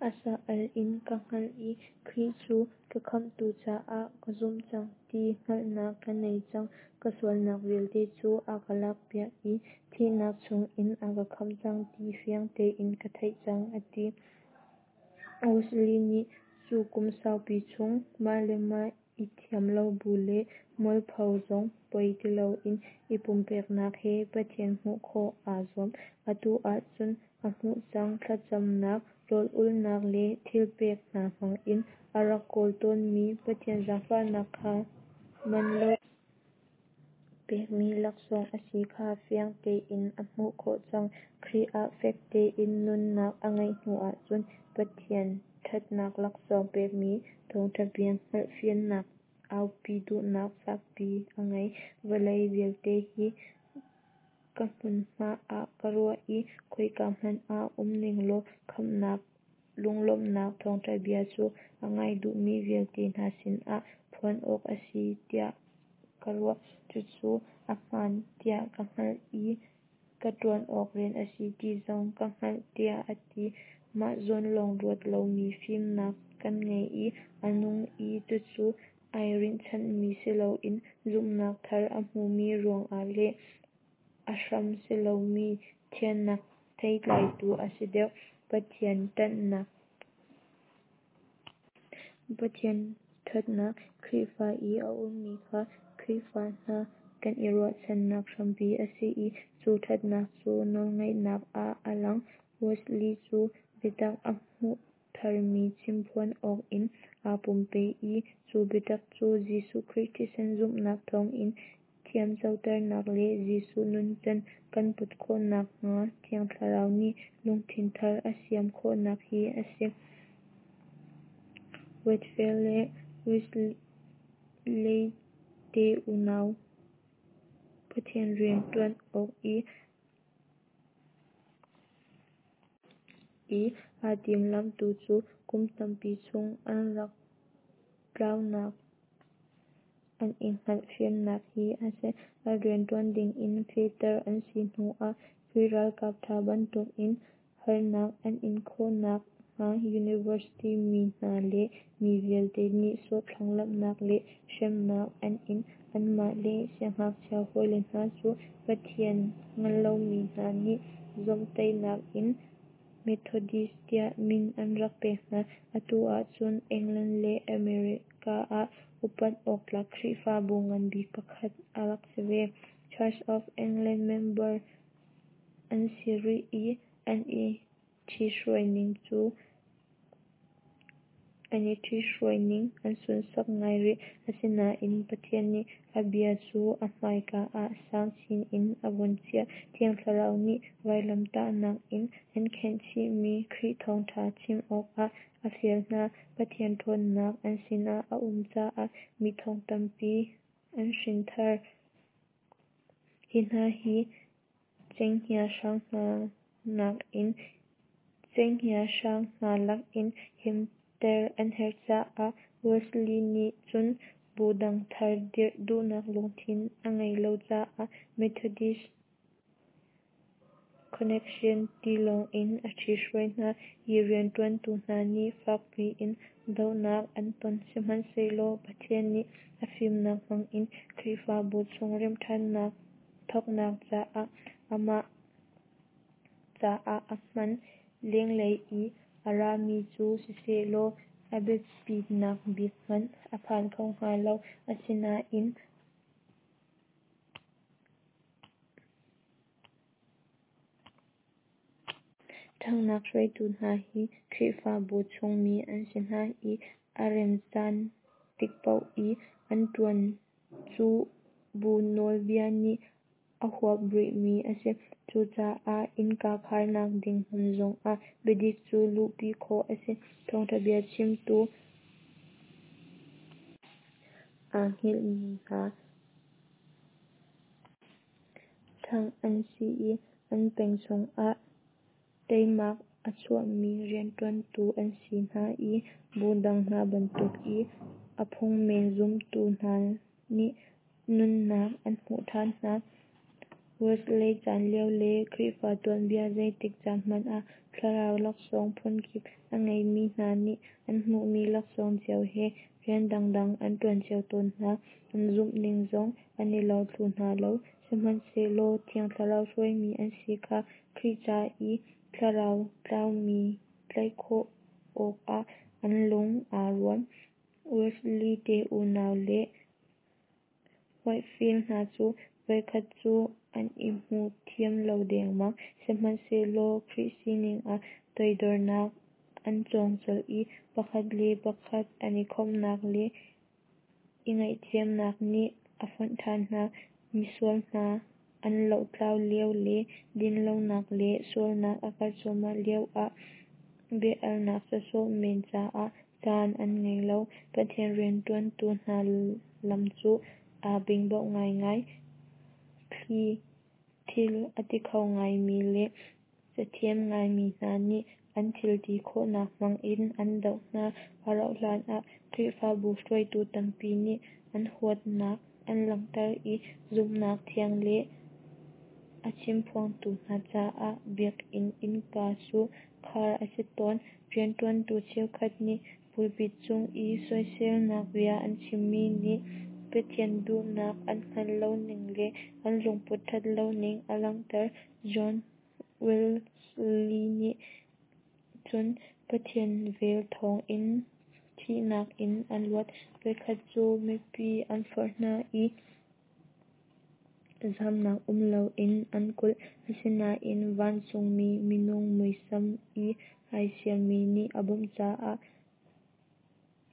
a sa-al in ka hngalh i Khrih cu ka khamhtu caah ka zumh cang ti hngalhnak ka nei cang. Ka sualnak vialte cu a ka lakpiak i thihnak chungin a ka khamh cang ti fiang tein ka theih cang, a ti. Wesley nih cu kum saupi chung mah le mah i thiam lo bu le mualpho zong poi ti loin i pumpeknak he Pathian hmuh khawh aa zuam. Atu ahcun a hmuh cang. Thlacamnak, rawl-ulhnak le thilpek hna hmangin a rak kawl tawnmi Pathian zaangfahnak kha man lo pekmi laksawng a si kha fiang tein a hmuh khawh cang. Khrih ah fek tein nunnak a ngeih hnu ahcun Pathian ṭhatnak laksawng pekmi thawngṭha bia hngalhfiannak aupi duhnak fakpi a ngei. Vawlei vialte hi ka hmunhma ah ka ruah i khoika hmanh ah um ninglaw khamhnak lunglawmhnak thawngṭha bia cu a ngai duhmi vialte hna sinah phuan awk a si tiah ka ruah. Cucu a hmaan tiah ka hngalh i ka ṭuan awk rian a si ti zong ka hngalh, tiah a ti. Mah zawn lawng ruat lomi fimnak kan ngei i a nung i cucu ai rinhchanmi siloin zumhnak thar a hmumi ruangah le a hram silomi thiannak theitlai tu a si deuh. Pathian ṭhatnak Pathian ṭhatnak Khrihfa i a ummi kha Khrihfa hna kan i ruahchannak hrampi a si i cu ṭhatnak cu nawlngaihnak ah a lang. Wesley cu biatak a hmuh tharmi chimphuan awk in aa pumpe i cu biatak cu Jesuh Khrih thisen zumhnak thawngin thiamcoternak le Jesuh nuncan kan put khawh nakhnga Thiang Thlarau nih lungthin thar a siam khawhnak hi a si. Whitefield le Wesley te unau Pathian rian ṭuan awk i aa timhlamhtu cu kum tampi chung an rak tlaunak an i hngalh fiannak hi a si. A rian ṭuan dingin fehter an si hnuah Khrih ralkap ṭha bantukin harnak an in khawhnak hnga. University mi hna le mi vialte nihsawh thlanglamhnak le hremnak an in. Anmah le siangngakchia hawile hna cu Pathian hngallomi hna nih zawmhtaihnak in Methodist tiah min an rak pek hna. Atu ahcun England le America ah upat awktlak Khrihfabu nganbik pakhat a rak si ve. Church of England member an si rih i an i ṭhithruai ning an sunsak ngai rih. Asinain Pathian nih a bia cu a hmaika ah sang chin in a vun chiah. Thiang Thlarau nih vailamtahnak in an khenhchihmi Khrih thawngṭha chim awkah a fial hna. Pathian ṭhawnnak an sinah a um caah mi thong tampi an hrinthar. Hi hna hi cenghngia hrang hna lakin himter an herh caah Wesley nih cun bu dang thar dirh duhnak lungthin a ngeih lo caah Methodist Connection ti lawng in a ṭhithruai hna. Hi rianṭuantu hna nih fakpi in dohnak an ton. Sihmanhsehlaw Pathian nih a fimnak hmangin Khrihfabu chung remhṭhannak thawknak caah amah caah a hman. Lenglei i a rami cu sisehlaw a biapitnak bik hmanh a phan kho hnga lo. Asinain ṭhanghnak hruaitu hna hi Khrihfabu chungmi an si hna i a remcaan tik paoh i an ṭuan cu bu nawlbia nih a huap rihmi a si. Cucaah innka kharnak ding hmun zongah biadik cu luhpi khawh a si. Thawngṭha bia chimtu aa hngilhmi hna ṭhangh an si i an peng chungah teimak a chuahmi rianṭuantu an si hna i bu dang hna bantuk i a phungmen zumtu hna nih nunnak an hmuh ṭhan hna. Wesley caan lio le Khrihfa tuanbia zeitik caan hmanh ah thlarau laksawng phunkip a ngeimi hna nih an hmuhmi laksawng cio he rian dangdang an ṭuan cio tawn hna. An zumhning zong an i lo thlu hna lo. Sihmanhsehlaw Thiang Thlarau hruaimi an si kha Khrih ca i thlarau tlaumi tlaih khawh awkah an lung aa rual. Wesley te unau le Whitefield hna cu voikhat cu an i hmu thiam lo dengmang. Sihmanhsehlaw Khrih sining ah toidornak an cawng colh i pakhat le pakhat an i khawmhnak le i ngaihthiamnak nih a fonh ṭhan hna. Misual hna an lohtlau lio le dinlonak le sualnak a karh cuahmah lioah bia-alnak sawsawh men caah caan an ngei lo. Pathian rianṭuantu hna lam cu aa bingbo ngaingai. Thil a ti kho ngaimi le cathiam ngaimi hna nih an thilti khawhnak hmangin an doh hna. A rauhhlan ah Khrihfabu hruaitu tampi nih an huatnak an langhter i zumhnak thiang le a chimphuangtu hna caah biakinn innka cu khar a si tawn. Rianṭuantu cheukhat nih pulpit cung i soiselnak bia an chimmi nih Pathian duhnak an hngalh loning le an lungput ṭhat loning a langhter. John Wesley nih cun Pathian vel thawngin thihnak in a luat. Voikhat cu mipi an forh hna i zamnak um loin an kulh. Asinain vancungmi minung muisam i ai siammi nih a bawmh caah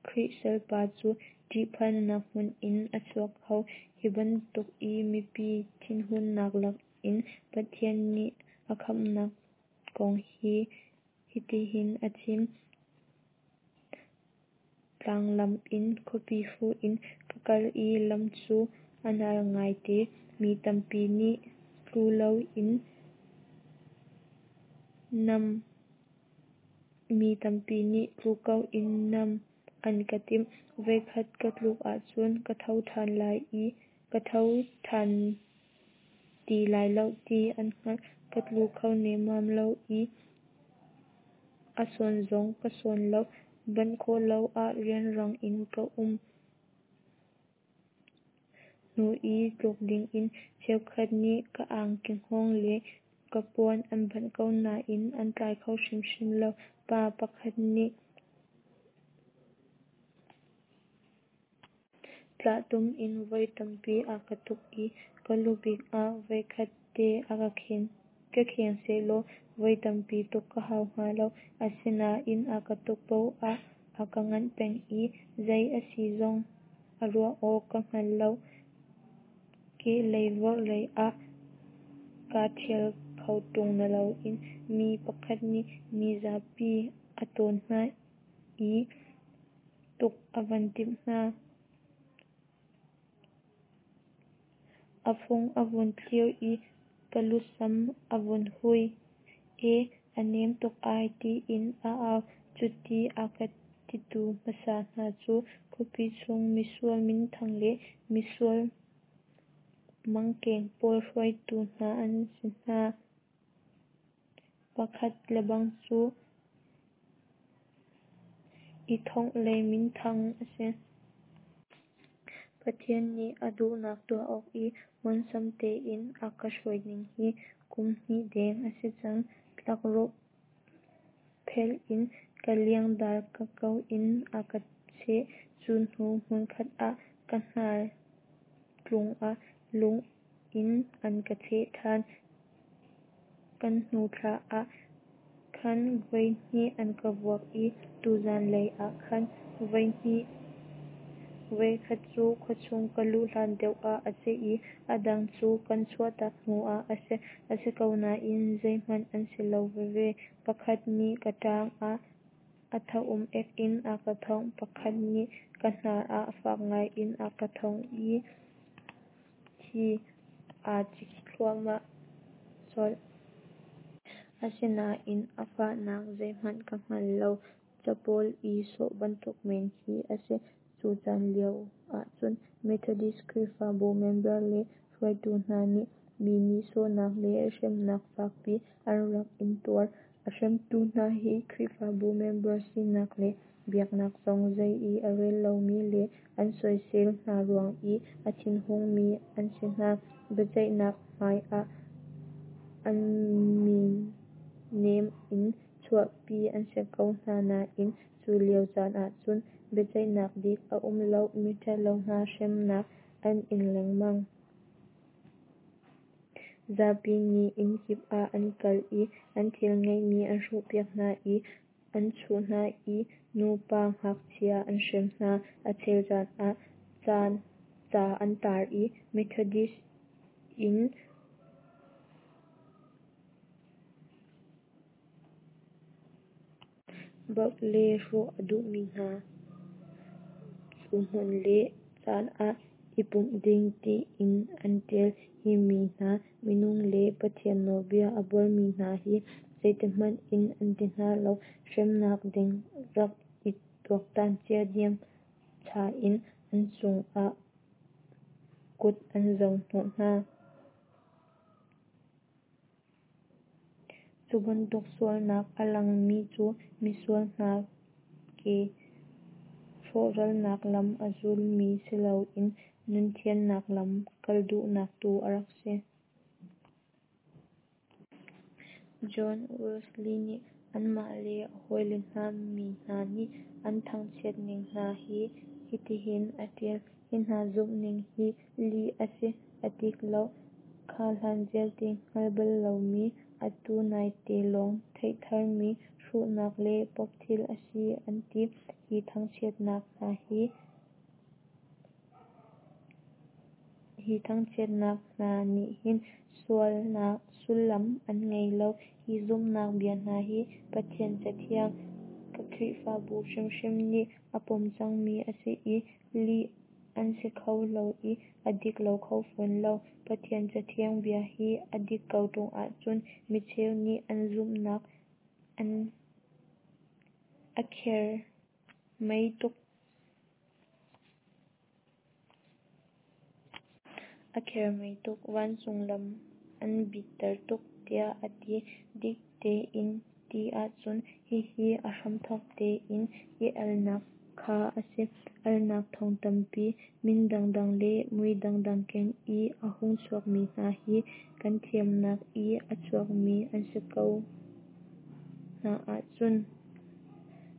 Khrih salpa cu ṭihphannak hmun in a chuak kho. Hi bantuk i mipi thinhunnak lakin Pathian nih a khamhnak kong hi hitihin a chim. Tlanglam in khuapi fuh in ka kal i lam cu a nal ngaite. Mi tampi nih tlu loin nam Mi tampi nih tlu ko in nam an ka timh. Voikhat ka tluk ahcun ka tho ṭhan ti lai lo ti an hngalh. Ka tlu kho nemmam lo i. A sawn zong ka sawn lo. Banh khawh lo ah rianrang in ka um hnu i tluk dingin cheukhat nih ka angki hngawng le ka puan an banh ko nain an tlai kho hrimhrim lo. Pa pakhat nih tlahtum in voi tampi a ka tuk i ka lubik ah voikhat te a ka khen. Ka kheng sehlaw voi tampi tuk ka hau hnga lo. Asinain a ka tuk paoh ah a ka nganh peng i zei a si zong a ruah awk ka hngal lo. Kehlei vorhlei ah kaa ṭhial kho ṭung naloin mi pakhat nih mizapi a tawn hna i tuk a van timh hna. A fung a vun thlir i ka lusam a vun hui. "E, a nem tuk ai," tiin a au. Cuti a ka titu hmasa hna cu khuapi chung misual minthang le misual mangkeng pawl hruaitu hna an si hna. Pakhat lebang cu i thongh lei minthang a si. Pathian nih a duhnak tuah awk i ngawlsam tein a ka hruaining hi kum hnih deng a si cang. Tlakrawh phelh in ka liangdal ka ko in a ka cheh. Cu hnu hmunkhat ah ka hnar tlung ah lung in an ka cheh ṭhan. Kan hnu thla ah khan voi hnih an ka vuak i tuzan lei ah khan voi hnih. Voikhat cu khuachung ka luh hlan deuh ah a si i a dang cu kan chuahtak hnu ah a si. A si ko nain zeihmanh an si lo veve. Pakhat nih ka ṭaang ah a thaum ek in a ka thongh. Pakhat nih ka hnar ah fak ngai in a ka thongh i thi aa cik thluahmah colh. Asinain a fahnak zeihmanh ka hngal lo. Capawl i sawh bantuk men khi a si. Cu caan lio ahcun Methodist Khrihfabu member le hruaitu hna nih mi nihsawhnak le hremnak fakpi an rak intuar. A hremtu hna hi Khrihfabu member sinak le biaknak zong zei i a rel lomi le an soisel hna ruang i a thinhungmi an si hna. Biaceihnak hmai ah an min nem in chuahpi an si ko hna nain cu lio caan ahcun biaceihnak dik a um lo, miṭhalo hna hremnak an ing lengmang. Zapi nih inn kip ah an kal i an thil ngeihmi an hrawhpiak hna i an chuh hna i nu pa ngakchia an hrem hna. A chel caan ah ca an tar i Methodist inn baoh le hrawh a duhmi hna cu hmun le caan ah i pumh ding tiin an ṭial. Hi mi hna, minung le Pathian nawlbia a buarmi hna hi zeitihmanh in an ti hna lo. Hremnak ding rak i tuaktan cia diam-cha in an cungah kut an zo hnawh hna. Cu bantuk sualnak a langmi cu misual hna ke rawhralnak lam a zulmi siloin nunthiannak lam kal duhnak tu a rak si. John Wesley nih amah le a hawile hna mi hna nih an thangchiat ning hna hi hitihin a ṭial: Hi hna zumhning hi lih a si, a dik lo, kha hlan vialte hngalh bal lomi, atu naite lawng theih tharmi hruhnak le pope thil a si an ti. Hi thangchiatnak hna nih hin sullam an ngei lo. Hi zumhnak bia hna hi Pathian Cathiang, Khrihfabu hrimhrim nih a pom cangmi a si i lih an si kho lo i a dik lo kho fawn lo. Pathian Cathiang bia hi a dik ko ṭung ahcun micheu nih an zumhnak a khermei tuk. A khermei tuk, vancung lam an bitter tuk, tiah a ti. Dik tein ti ahcun hihi a hramthawk tein i alnak kha a si. Alnak thong tampi, min dangdang le mui dangdang keng i a hung chuakmi hna hi kan thiamnak i a chuakmi an si ko hna ahcun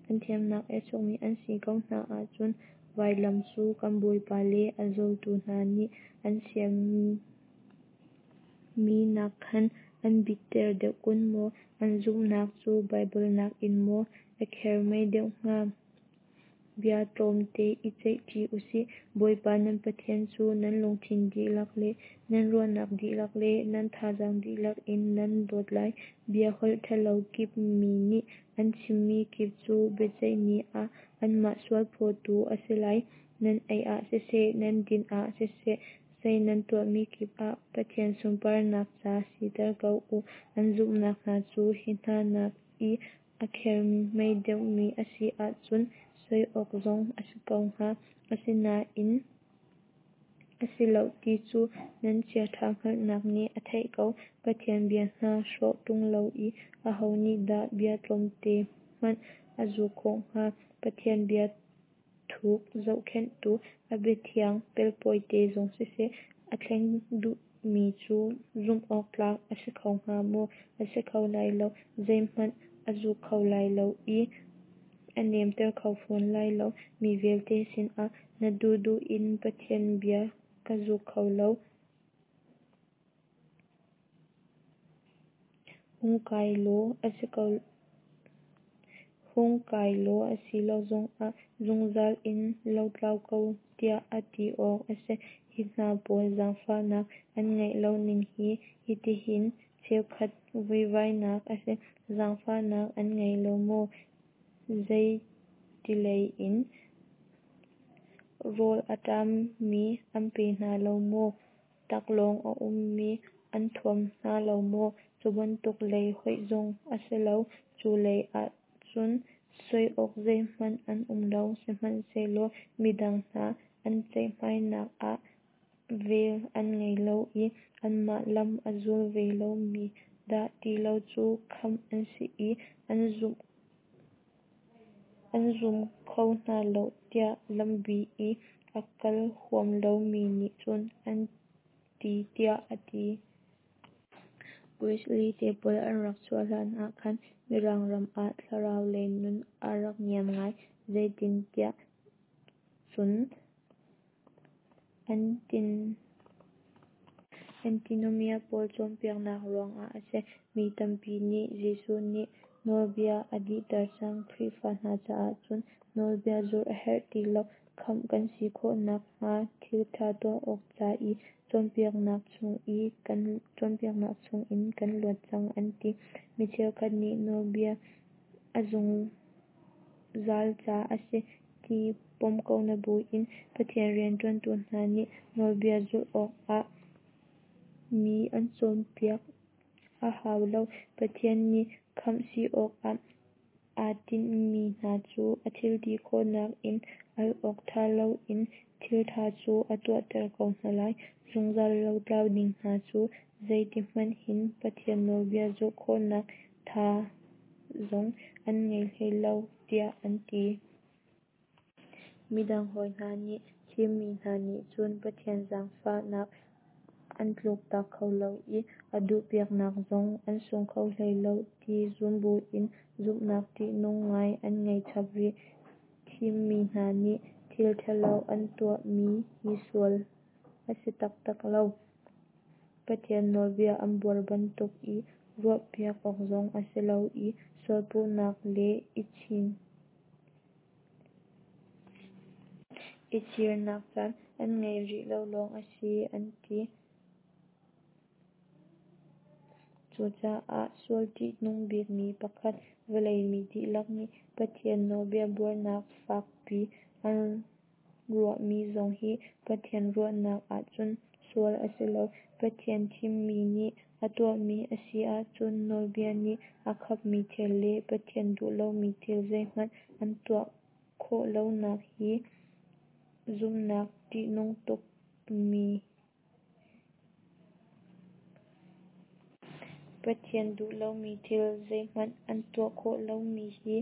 kan thiamnak i a chuakmi an si ko hna ahcun vailam cu kan Bawipa le a zultu hna nih an siammi nakkhan an bitter deuh kun maw? An zumhnak cu Baibal nakin maw a khermei deuh hnga? Bia tlawmte i ceih ṭi usih. Bawipa nan Pathian cu nan lungthin dihlak le nan ruahnak dihlak le nan thazaang dihlak in nan dawt lai. Bia holh ṭhalo kip mi nih an chimmi kip cu biaceih ni ah anmah sualphawtu a si lai. Nan ei ah siseh, nan din ah siseh, zei nan tuahmi kip ah Pathian sunparnak ca siter ko u. An zumhnak hna cu hi hna nak i a khermei deuhmi a si ahcun soi awk zong a si ko hnga. Asinain a si loh ti cu nan chiaṭha hngalhnak nih a theih ko. Pathian bia hna hrawh ṭung lo i aho nih dah bia tlawmte hmanh a zuk khawh hnga? Pathian bia thuk zohkhenhtu, a biathiang pelpawite zong siseh, a thleng duhmi cu zumh awk tlak a si kho hnga maw? A si kho lai lo. Zeihmanh a zuk kho lai lo i a nemter kho fawn lai lo. Mi vialte sinah na duhduh in Pathian bia ka zuk kho lo. Hung kai law a si ko hung kai law a si lo zongah zungzal in lotlau ko tiah a ti awk a si. Hi hna pawl zaangfahnak an ngeih lo ning hi hitihin cheukhat vuivainak a si. Zaangfahnak an ngei lo maw? Zeitilei in? Rawl a ṭammi an pe hna lo maw? Taklawng a ummi an thuam hna lo maw? Cu bantuk lei hoih zong a si lo. Cu lei ahcun soi awk zeihmanh an um lo. Sihmanhsehlaw midang hna an ceihmainak ah vel an ngei lo i anmah lam a zul ve lomi dah ti lo cu khamh an si i an zumh an zum kho hna lo tiah lambi i a kal huam lomi nih cun an ti tiah a ti. Wesley te pawl an rak chuah hlan ah khan Mirang ram ah thlarau lei nun a rak niam ngai. Zeitintiah cun Antinomia pawl cawnpiaknak ruangah a si. Mi tampi nih Jesuh nih nawlbia a dihter cang, Khrihfa hna caah cun nawlbia zulh a herh ti lo, khamh kan si khawh nakhnga thil ṭha tuah awk ca i cawnpiaknak chungin kan luat cang an ti. Mi cheukhat nih nawlbia a zungzal ca a si ti pom ko na buin Pathian rianṭuantu hna nih nawlbia zulh awkah mi an cawnpiak a hau lo. Pathian nih khamh si awkah aa tinhmi hna cu a thilti khawhnak in al awk ṭha loin thil ṭha cu a tuahter ko hna lai. Zungzal lotlau ding hna cu zeiti hmanhin Pathian nawlbia zulh khawhnak tha zong an ngei hlei lo tiah an ti. Midang hawi hna nih thimmi hna nih cun Pathian zaangfahnak an tluktak kho lo i a duhpiaknak zong an sung kho hlei lo ti zum buin zumhnak ṭihnung ngai an ngei chap rih. Thimmi hna nih thil ṭhalo an tuahmi hi sual a si taktak lo. Pathian nawlbia an buar bantuk i ruahpiak awk zong a si lo i sualpuhnak le i chirnak caan an ngeih rih lo lawng a si an ti. Cucaah sual ṭihnung bikmi pakhat, vawlei mi dihlak nih Pathian nawlbia buarnak fakpi an ruahmi zong hi Pathian ruahnak ahcun sual a si lo. Pathian thimmi nih a tuahmi a si ahcun nawlbia nih a khapmi thil le Pathian duh lomi thil zeihmanh an tuah khawh lonak hi zumhnak ṭihnung tukmi. Pathian duh lomi thil zeihmanh an tuah khawh lomi hi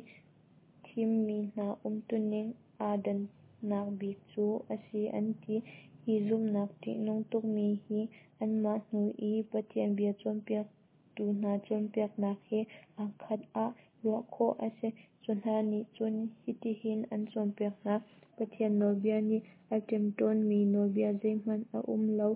thimmi hna umtuning aa dannak bik cu a si an ti. Hi zumhnak ṭihnung tukmi hi anmah hnu i Pathian bia cawnpiaktu hna cawnpiaknak he aa khat ah ruah khawh a si. Cu hna nih cun hitihin an cawnpiak hna: Pathian nawlbia nih a ṭemṭawnmi nawlbia zeihmanh a um lo.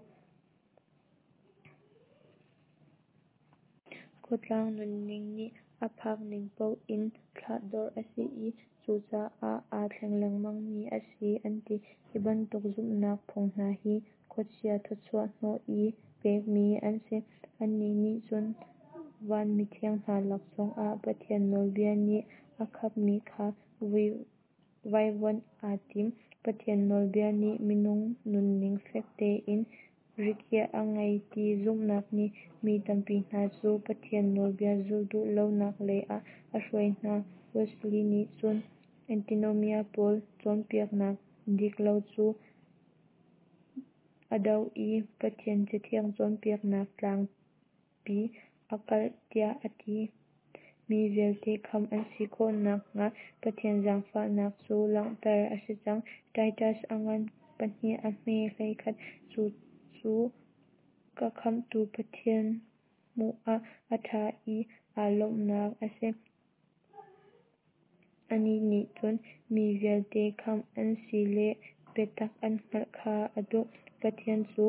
Khuatlang nunning nih a phak ning paoh in thlahdorh a si i cucaah aa thleng lengmangmi a si an ti. Hi bantuk zumhnak phung hna hi khuachia thawchuah hnawh i pekmi an si. Annih nih cun van mithiang hna lak zongah Pathian nawlbia nih a khapmi kha vaivuanh aa tim. Pathian nawlbia nih minung nunning fek tein rikhiah a ngei ti zumhnak nih mi tampi hna cu Pathian nawlbia zulh duh lonak lei ah a hruai hna. Wesley nih cun Antinomian pawl cawnpiaknak dik lo cu a doh i Pathian Cathiang cawnpiaknak tlangpi a kalh tiah a ti. Mi vialte khamh an si khawh nakhnga Pathian zaangfahnak cu langhter a si cang. Titus a ngan 2 a hme 11. Cucu ka khamhtu Pathian hmuh ah a ṭha i aa lawmhnak a si. Anih nih cun mi vialte khamh an si le biatak an hngalh kha a duh. Pathian cu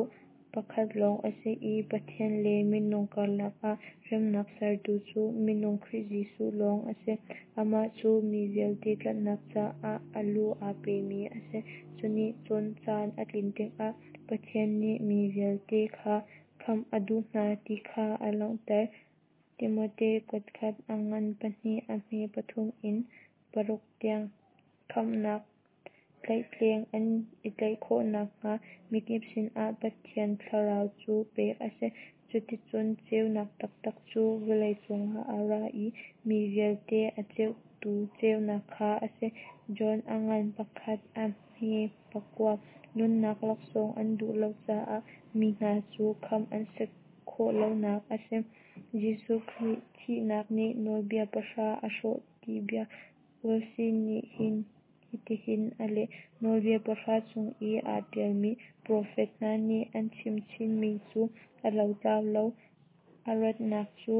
pakhat lawng a si i Pathian le minung karlak ah remnak sertu cu minung Khrih Jesuh lawng a si. Amah cu mi vialte tlanhnak caah a lu aa pemi a si. Cu nih cun caan a tlin tikah Pathian nih mi vialte kha khamh a duh hna ti kha a langhter. Timote kuatkhat a ngan 2 a hme 3 in 6 tiang. Khamhnak tlaihtleng an i tlaih khawh nakhnga mikip sinah Pathian Thlarau cu pek a si. Cuticun ceunak taktak cu vawlei cungah a ra i mi vialte a ceuhtu ceunak kha a si. John a ngan 1 a hme 9. Nunnak laksawng an duh lo caah mi hna cu khamh an si khawh lonak a si. Jesuh Khrih thihnak nih Nawlbia Pahra a hrawh ti bia Wesley nih hitihin a leh: Nawlbia Pahra chung i aa ṭialmi, profet hna nih an chim chinmi cu a lotlau lo. A ratnak cu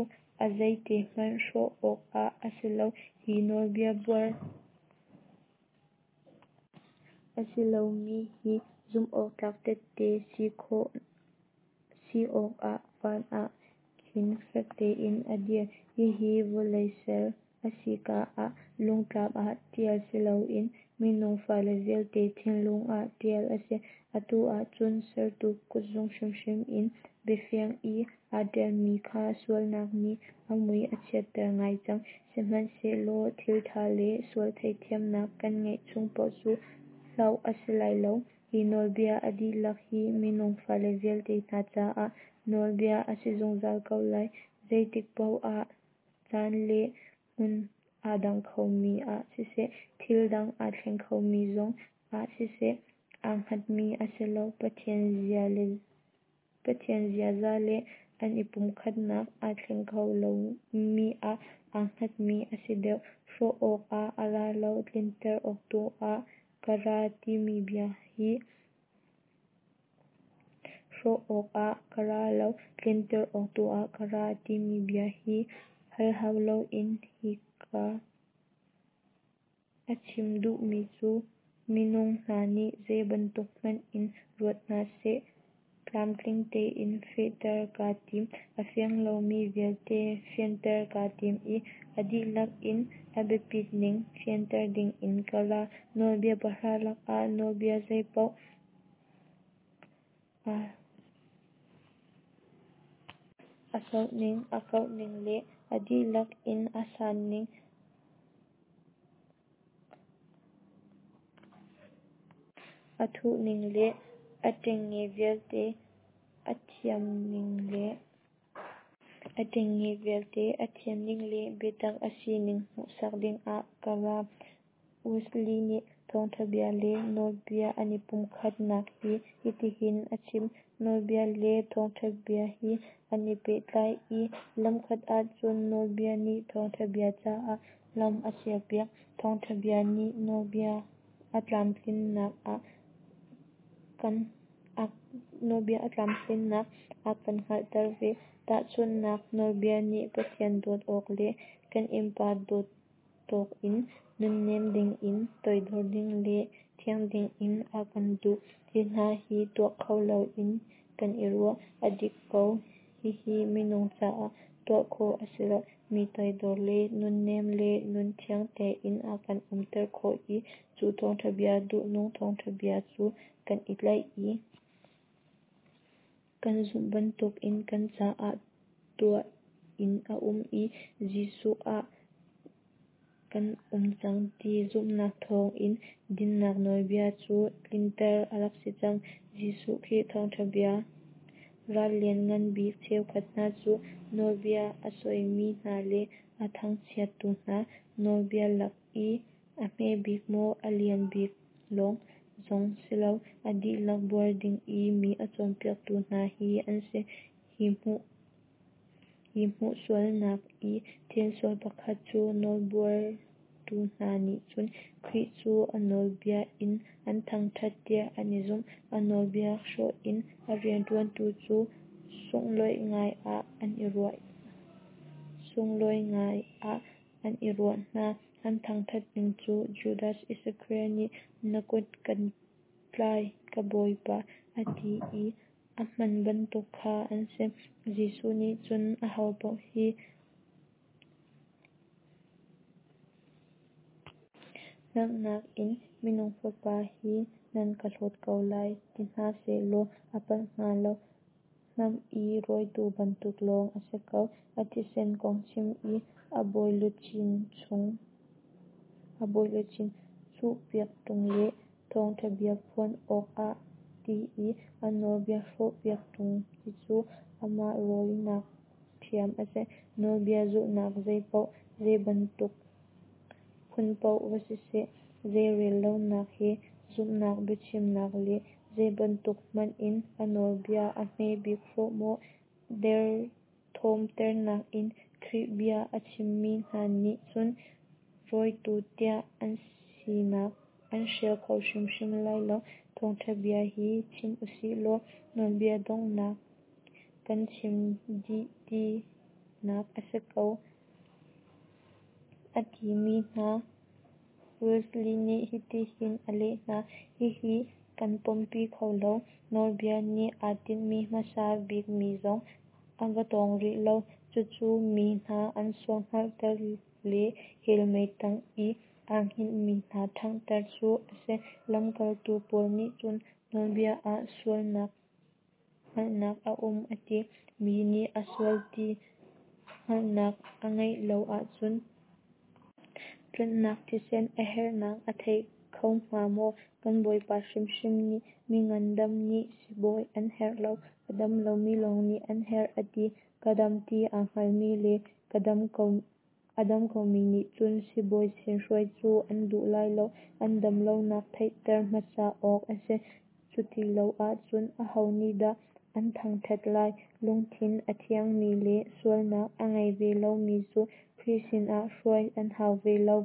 a zeite hmanh hrawh awkah a si lo. Hi nawlbia buar a si lomi hi zumhawktlak tehte si awkah van ah khin fek tein a dir. Hihi vawlei ser a si ka ah lungtlap ah ṭial si loin minung fale vialte thinlung ah ṭial a si. Atu ah cun sertu kutzung hrimhrim in biafiang i aa ṭialmi kha sualnak nih a mui a chiatter ngai cang. Sihmanhsehlaw thil ṭha le sual theihthiamnak kan ngeih chung paoh cu hloh a si lai lo. Hi nawlbia a dihlak hi minung fale vialte hna caah nawlbia a si zungzal ko lai. Zeitik paoh ah caan le hmun aa dang khomi ah siseh, thil dang aa thleng khomi zong ah siseh, aa hngatmi a si lo. Pathian ziaza le an i pumkhatnak aa thleng kho lomi ah aa hngatmi a si deuh. Hrawh awkah a ra lo, tlinter awk tu ah ka ra timi bia hi Hrawh awkah ka ra lo, tlinter awk tu ah ka ra timi bia hi hal hau loin hika a chim duhmi cu minung hna nih zei bantuk hmanh in ruat hna seh, tlamtling tein fehter kaa tim. A fiang lomi vialte fianter kaa tim i a dihlak in a biapit ning fianter dingin ka ra. Nawlbia Pahra lakah nawlbia zeipaoh a sauhning, a kauhning le a dihlak in a sanning, a thuhning le a ṭengnge vialte a thianning le a ṭengnge vialte a thianning le biatak a sining hmuhsak dingah ka ra. Wesley nih. Thawngtha bia le nawlbia an i pumkhatnak hi hitihin a chim. Nawlbia le thawngtha bia hi an i pehtlai i lamkhat ahcun nawlbia nih thawngtha bia caah lam a sialpiak. Thawngtha bia nih nawlbia a tlamtlinnak a kan hngalhter ve. Tahchunhnak, nawlbia nih Pathian dawt awk le kan innpa dawt tawk in nunnem dingin, toidor ding le thiang dingin a kan duh. Hi hna hi tuah kho loin kan i ruah. A dik ko, hihi minung caah tuah khawh a si lo. Mi toidor le nunnem le nun thiang tein a kan umter khawh i cu thawngtha bia, duhnung thawngtha bia cu kan i tlaih i kan zumh bantukin kan caah tuah in a um i Jesuh ah kan um cang ti zumhnak thawngin dinnak nawlbia cu tlinter a rak si cang. Jesuh Khrih thawngtha bia ral lianngan bik cheukhat hna cu nawlbia a sawimi hna le a thangchiattu hna, nawlbia lak i a hmebik maw a lian bik lawng zong si lo, a dihlak buar ding i mi a cawnpiaktu hna hi an si. Hi hmuh sualnak i thilsual pakhat cu nawlbuartu hna nih cun Khrih cu a nawlbia in an thangthat tiah an i zumh. A nawlbia hrawh in a riantuantu cu sunglawi ngai ah an i ruah hna. An thangthat ning cu Judas Iskariot nih na kut kan tlai ka Bawipa a ti i a hman bantuk kha an si. Jesuh nih cun ahopaoh hi hngalhnak in minung Fapa hi nan ka hlawt ko lai ti hna sehlaw a palh hnga lo. Hnam i rawitu bantuk lawng a si ko. A thisen kong chim i a bawiluchin chuhpiak ṭung le thawngtha bia phuan awk ah ti i a nawlbia hrawhpiak ṭung hi cu amah rawinak ṭhiam a si. Nawlbia zulhnak zeipaoh, zeibantuk phun paoh va siseh, zeirellonak he zumhnak biachimnak le zeibantuk hmanh in a nawlbia a hmebik hrawh maw derthawmternak in Khrih bia a chimmi hna nih cun rawitu tiah an sinak an hrial kho hrimhrim lai lo. Thawngtha bia hi chim usih law nawlbia donghnak kan chim dih tinak a si ko a timi hna Wesley nih hitihin a leh hna. Hihi kan pompi kho lo. Nawlbia nih aa tinhmi hmasa bikmi zong a va tawng rih lo. Cucu mi hna an sual hngalhter le hell mei tang i aa hngilhmi hna ṭhanghter cu a si. Lamkaltu Paul nih cun nawlbia ah sualnak hngalhnak a um a ti. Mi nih a sual ti hngalhnak a ngeih lo ahcun tlanhnak thisen a herhnak a thei kho hnga maw? Kan Bawipa hrimhrim nih mi ngandam nih sibawi an herh lo, a dam lomi lawng nih an herh a ti. Ka dam ti aa hngalmi le a dam komi nih cun sibawi sin hruai cu an duh lai lo. An dam lonak theihter hmasa awk a si. Cuti lo ahcun aho nih dah an thangthat lai? Lungthin a thiangmi le sualnak a ngei ve lomi cu Khrih sinah hruai an hau ve lo.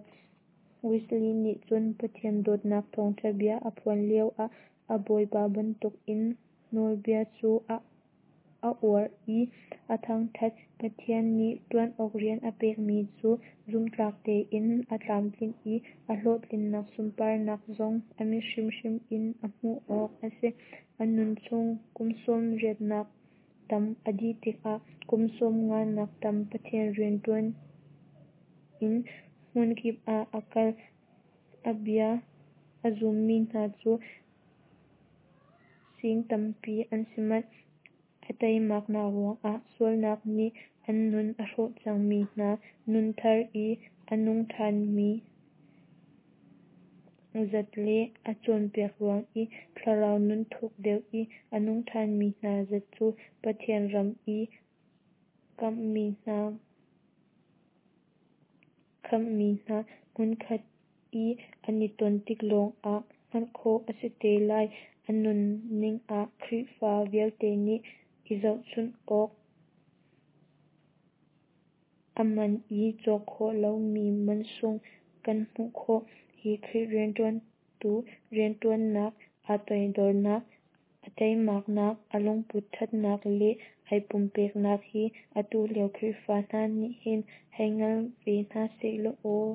Wesley nih cun Pathian dawtnak thawngtha bia a phuan lioah a Bawipa bantukin nawlbia cu a uar i a thangthat. Pathian nih tuan awk rian a pekmi cu zumhtlak tein a tlamtlinh i a hlawhtlinnak sunparnak zong a mit hrimhrim in a hmuh awk a si. A nun chung kum 80 nak tam a dih tikah kum 50 nak tam Pathian riantuan in hmunkip ah a kal. A bia a zummi hna cu sing tampi an si manh. A teimaknak ruangah sualnak nih an nun a hrawh cangmi hna nun thar i a nung ṭhanmi zat le a cawnpiak ruang i thlarau nun thuk deuh i a nung ṭhanmi hna zat cu Pathian ram i khamhmi hna hmunkhat i an i ton tik lawng ah hngalh khawh a si te lai. A nunning ah Khrihfa vialte nih i zohchunh awk a man i cawk khawh lomi mansung kan hmuh khawh. Hi Khrih rianṭuantu rianṭuannak, aa toidornak, a teimaknak, a lungput ṭhatnak le ai pumpeknak hi atu lio Khrihfa hna nih hin hei hngal ve hna sehlaw aw.